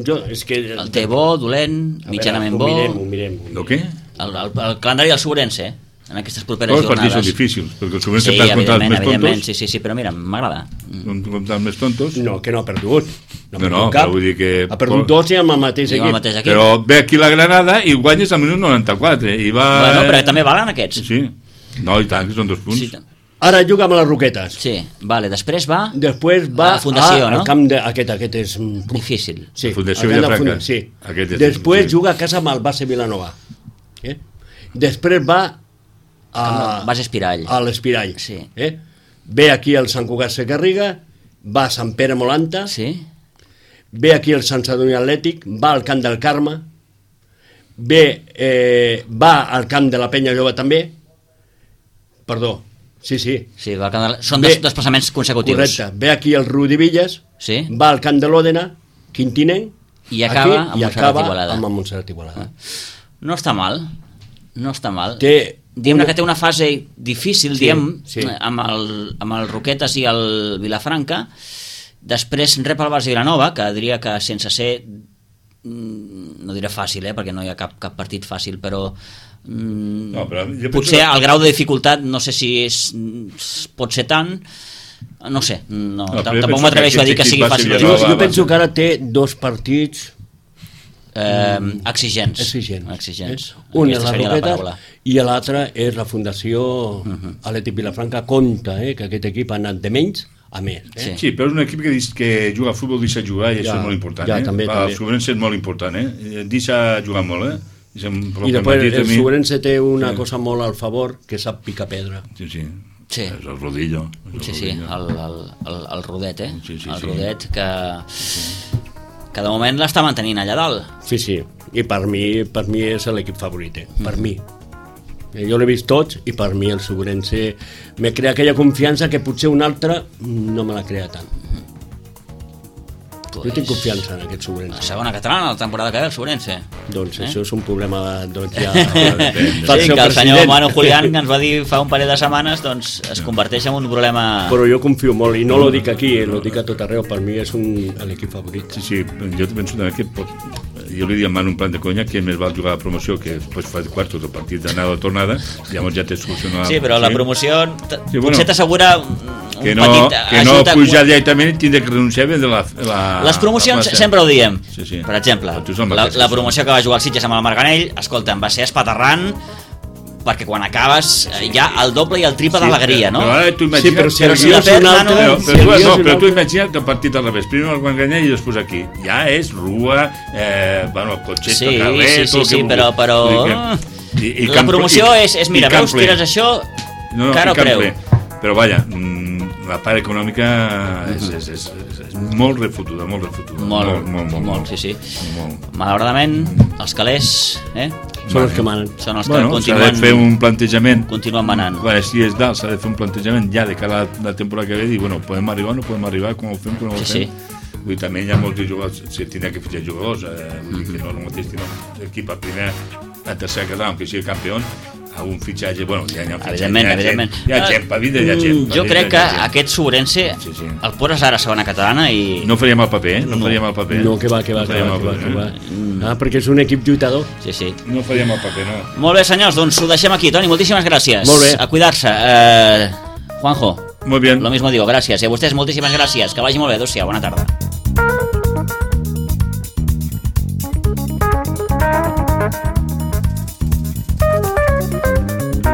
Speaker 3: jo, és que...
Speaker 1: El té bo, dolent,
Speaker 3: A veure,
Speaker 1: mitjanament
Speaker 3: ho
Speaker 1: bo?
Speaker 3: mirem, ho mirem. ho mirem.
Speaker 2: El què?
Speaker 1: El, el, el calendari del Sobrense, en aquestes properes
Speaker 2: Tots els partits són
Speaker 1: jornades.
Speaker 2: difícils, perquè el Sobrense
Speaker 1: Sí,
Speaker 2: perd contra els
Speaker 1: evidentment,
Speaker 2: més
Speaker 1: evidentment,
Speaker 2: tontos.
Speaker 1: sí, sí, sí, però mira, m'agrada. Mm.
Speaker 2: Contra els més tontos.
Speaker 3: No, que no ha perdut.
Speaker 2: No,
Speaker 3: ha
Speaker 2: no,
Speaker 3: perdut cap.
Speaker 2: però vull dir que-
Speaker 3: Ha perdut dos i amb el mateix
Speaker 1: I amb el
Speaker 3: equip.
Speaker 1: mateix equip.
Speaker 2: Però ve aquí la Granada i guanyes al minut noranta-quatre. I va...
Speaker 1: Bueno, però també valen aquests.
Speaker 2: Sí. No, i tant, que són dos punts.
Speaker 1: Sí,
Speaker 3: Ara juga amb les Roquetes.
Speaker 1: sí, vale, després va...
Speaker 3: Després va
Speaker 1: A la Fundació,
Speaker 3: a,
Speaker 1: no?
Speaker 3: al camp de... Aquest, aquest és...
Speaker 1: Difícil.
Speaker 3: Sí,
Speaker 2: La Fundació
Speaker 3: al camp de
Speaker 2: Vilafranca.
Speaker 3: Funda- Sí.
Speaker 2: Aquest és-
Speaker 3: Després
Speaker 2: sí.
Speaker 3: juga a casa amb el base Vilanova. Eh? Després va a...
Speaker 1: Base Espirall.
Speaker 3: A l'Espirall.
Speaker 1: Sí.
Speaker 3: Eh? Ve aquí al Sant Cugat Segarriga, va a Sant Pere Molanta,
Speaker 1: Sí?
Speaker 3: ve aquí al Sant Sadurní Atlètic, va al Camp del Carme, ve, eh, va al Camp de la Penya Jove també, perdó, sí, sí,
Speaker 1: Sí, va al camp de... Són
Speaker 3: Bé,
Speaker 1: des, desplaçaments consecutius.
Speaker 3: correcte, ve aquí al Rudivillas,
Speaker 1: Sí.
Speaker 3: va al Camp de l'Òdena, Quintinenc,
Speaker 1: I acaba
Speaker 3: aquí,
Speaker 1: amb
Speaker 3: i
Speaker 1: Montserrat
Speaker 3: acaba
Speaker 1: Igualada.
Speaker 3: amb el Montserrat Igualada.
Speaker 1: No està mal, no està mal.
Speaker 3: Té
Speaker 1: Diguem-ne
Speaker 3: una-
Speaker 1: que té una fase difícil,
Speaker 3: Sí,
Speaker 1: diem,
Speaker 3: sí.
Speaker 1: amb el, amb el Roquetes i el Vilafranca. Després rep el Barça Vilanova, que diria que sense ser, mm, no diré fàcil, eh, perquè no hi ha cap, cap partit fàcil, però, mm,
Speaker 2: No, però jo penso
Speaker 1: potser
Speaker 2: que-
Speaker 1: el grau de dificultat no sé si és, pot ser tant, no sé, no,
Speaker 2: No, però jo
Speaker 1: tampoc
Speaker 2: penso
Speaker 1: m'atreveixo
Speaker 2: que
Speaker 1: a dir que
Speaker 2: aquest
Speaker 1: sigui
Speaker 2: equip va
Speaker 1: fàcil.
Speaker 2: ser
Speaker 3: Jo,
Speaker 2: Vilanova,
Speaker 3: jo penso
Speaker 2: va-
Speaker 3: que ara té dos partits
Speaker 1: Eh, exigents.
Speaker 3: exigents.
Speaker 1: exigents.
Speaker 3: Eh? Un és
Speaker 1: Aquesta
Speaker 3: la
Speaker 1: seria la
Speaker 3: Roquetes
Speaker 1: paraula.
Speaker 3: i l'altre és la Fundació uh-huh. Atlètic Vilafranca. Compte, eh, que aquest equip ha anat de menys a més. Eh?
Speaker 1: Sí.
Speaker 2: Sí, però és un equip que, dis- que juga a futbol, deixa jugar i això
Speaker 3: Ja,
Speaker 2: és molt important.
Speaker 3: ja,
Speaker 2: eh?
Speaker 3: també,
Speaker 2: el
Speaker 3: també.
Speaker 2: Sobrense és molt important, eh? Deixa jugar molt, eh? Deixa,
Speaker 3: I després el Sobrense té una sí. cosa molt al favor, que sap picar pedra.
Speaker 2: Sí, sí.
Speaker 1: Sí.
Speaker 2: És el rodillo. És el
Speaker 1: Sí, sí,
Speaker 2: rodillo.
Speaker 1: el, el, el, el Rodet, eh?
Speaker 2: Sí, sí,
Speaker 1: el
Speaker 2: sí.
Speaker 1: Rodet que, que de moment l'està mantenint allà dalt.
Speaker 3: Sí, sí, i per mi, per mi és l'equip favorit, eh? per mi. Eh, Jo l'he vist tots i per mi el Sobrense me crea aquella confiança que potser un altre no me la crea tant. Jo tinc confiança en aquest
Speaker 1: La
Speaker 3: Sobrense.
Speaker 1: segona catalana, la temporada que ve, el Sobrense.
Speaker 3: Doncs
Speaker 1: Eh?
Speaker 3: això és un problema doncs, ja,
Speaker 1: Sí,
Speaker 3: pel seu
Speaker 1: que el senyor
Speaker 3: president.
Speaker 1: Manu Julián, que ens va dir fa un parell de setmanes, doncs es converteix en un problema...
Speaker 3: Però jo confio molt, i no lo dic aquí, eh, lo dic a tot arreu, per mi és un, l'equip favorit.
Speaker 2: Sí, sí, jo penso també que pot... Jo li dic a Manu un plan de conya que més val jugar a la promoció que després fa quartos del partit d'anada o tornada, llavors ja té solucionat...
Speaker 1: Sí, però la promoció t-
Speaker 2: Sí, bueno.
Speaker 1: potser t'assegura un
Speaker 2: que no,
Speaker 1: petit
Speaker 2: que no
Speaker 1: ajut...
Speaker 2: pujar directament i tindre que renunciar a la, la...
Speaker 1: Les promocions
Speaker 2: la
Speaker 1: sempre ho diem.
Speaker 2: Sí, sí.
Speaker 1: Per exemple,
Speaker 2: la,
Speaker 1: la, la promoció que va jugar al Sitges amb el Marganell, escolta'm, va ser espaterrant, perquè quan acabes sí. hi ha el doble i el triple sí, d'alegria, no?
Speaker 2: Però ara tu imagina't...
Speaker 3: Sí, però si
Speaker 1: però
Speaker 3: el
Speaker 1: si
Speaker 3: guió
Speaker 1: de
Speaker 3: és
Speaker 1: fet,
Speaker 3: un
Speaker 1: Nano,
Speaker 3: altre...
Speaker 2: Però,
Speaker 3: si
Speaker 2: però,
Speaker 3: el
Speaker 2: tu,
Speaker 3: guió
Speaker 2: no,
Speaker 3: és un
Speaker 2: però tu
Speaker 3: altre...
Speaker 2: imagina't el partit al revés. Primer el Marganell i després aquí. Ja és rua, eh, bueno, cotxet
Speaker 1: sí,
Speaker 2: al carrer...
Speaker 1: Sí, sí, sí, però... però...
Speaker 2: I, i
Speaker 1: la promoció
Speaker 2: i,
Speaker 1: és, és mira, veus, tires això,
Speaker 2: no, no,
Speaker 1: cara o creu.
Speaker 2: Però vaja, la part econòmica és, és, és, és, és molt refotuda, molt refotuda.
Speaker 1: Molt,
Speaker 2: molt, molt, molt,
Speaker 1: molt sí, sí.
Speaker 2: Molt.
Speaker 1: Malauradament, els calés, eh?
Speaker 3: Són els que manen.
Speaker 1: Són els que
Speaker 2: bueno,
Speaker 1: continuen...
Speaker 2: s'ha de fer un plantejament.
Speaker 1: Continuen manant.
Speaker 2: Bueno, si és dalt, s'ha de fer un plantejament ja de cara a la, la temporada que ve, dir, bueno, podem arribar o no podem arribar, com ho fem, com ho
Speaker 1: sí,
Speaker 2: fem.
Speaker 1: Sí.
Speaker 2: Vull dir, també hi ha molts jugadors, si tindrà que fitxar jugadors, eh, vull dir que no és el mateix que no, equip a primer, a tercer català, que sigui campió, a un fitxatge, bueno, hi ha, hi ha,
Speaker 1: evidentment,
Speaker 2: hi ha,
Speaker 1: evidentment.
Speaker 2: Hi ha gent, per vida hi ha gent.
Speaker 1: Jo crec que aquest Sobrense
Speaker 2: sí, sí.
Speaker 1: el poses ara a segona catalana i...
Speaker 2: No faríem el paper, eh? No,
Speaker 1: No.
Speaker 2: faríem el paper.
Speaker 3: No, que va, que va,
Speaker 2: no
Speaker 3: que va, que va, que va. Ah, perquè és un equip lluitador.
Speaker 1: Sí, sí.
Speaker 2: No faríem el paper, no.
Speaker 1: Molt bé, senyors, doncs ho deixem aquí. Toni, moltíssimes gràcies.
Speaker 3: Molt bé.
Speaker 1: A cuidar-se. Eh, Juanjo,
Speaker 2: Muy bien.
Speaker 1: lo mismo digo, gràcies. I a vostès moltíssimes gràcies. Que vagi molt bé. Adéu-siau, bona tarda.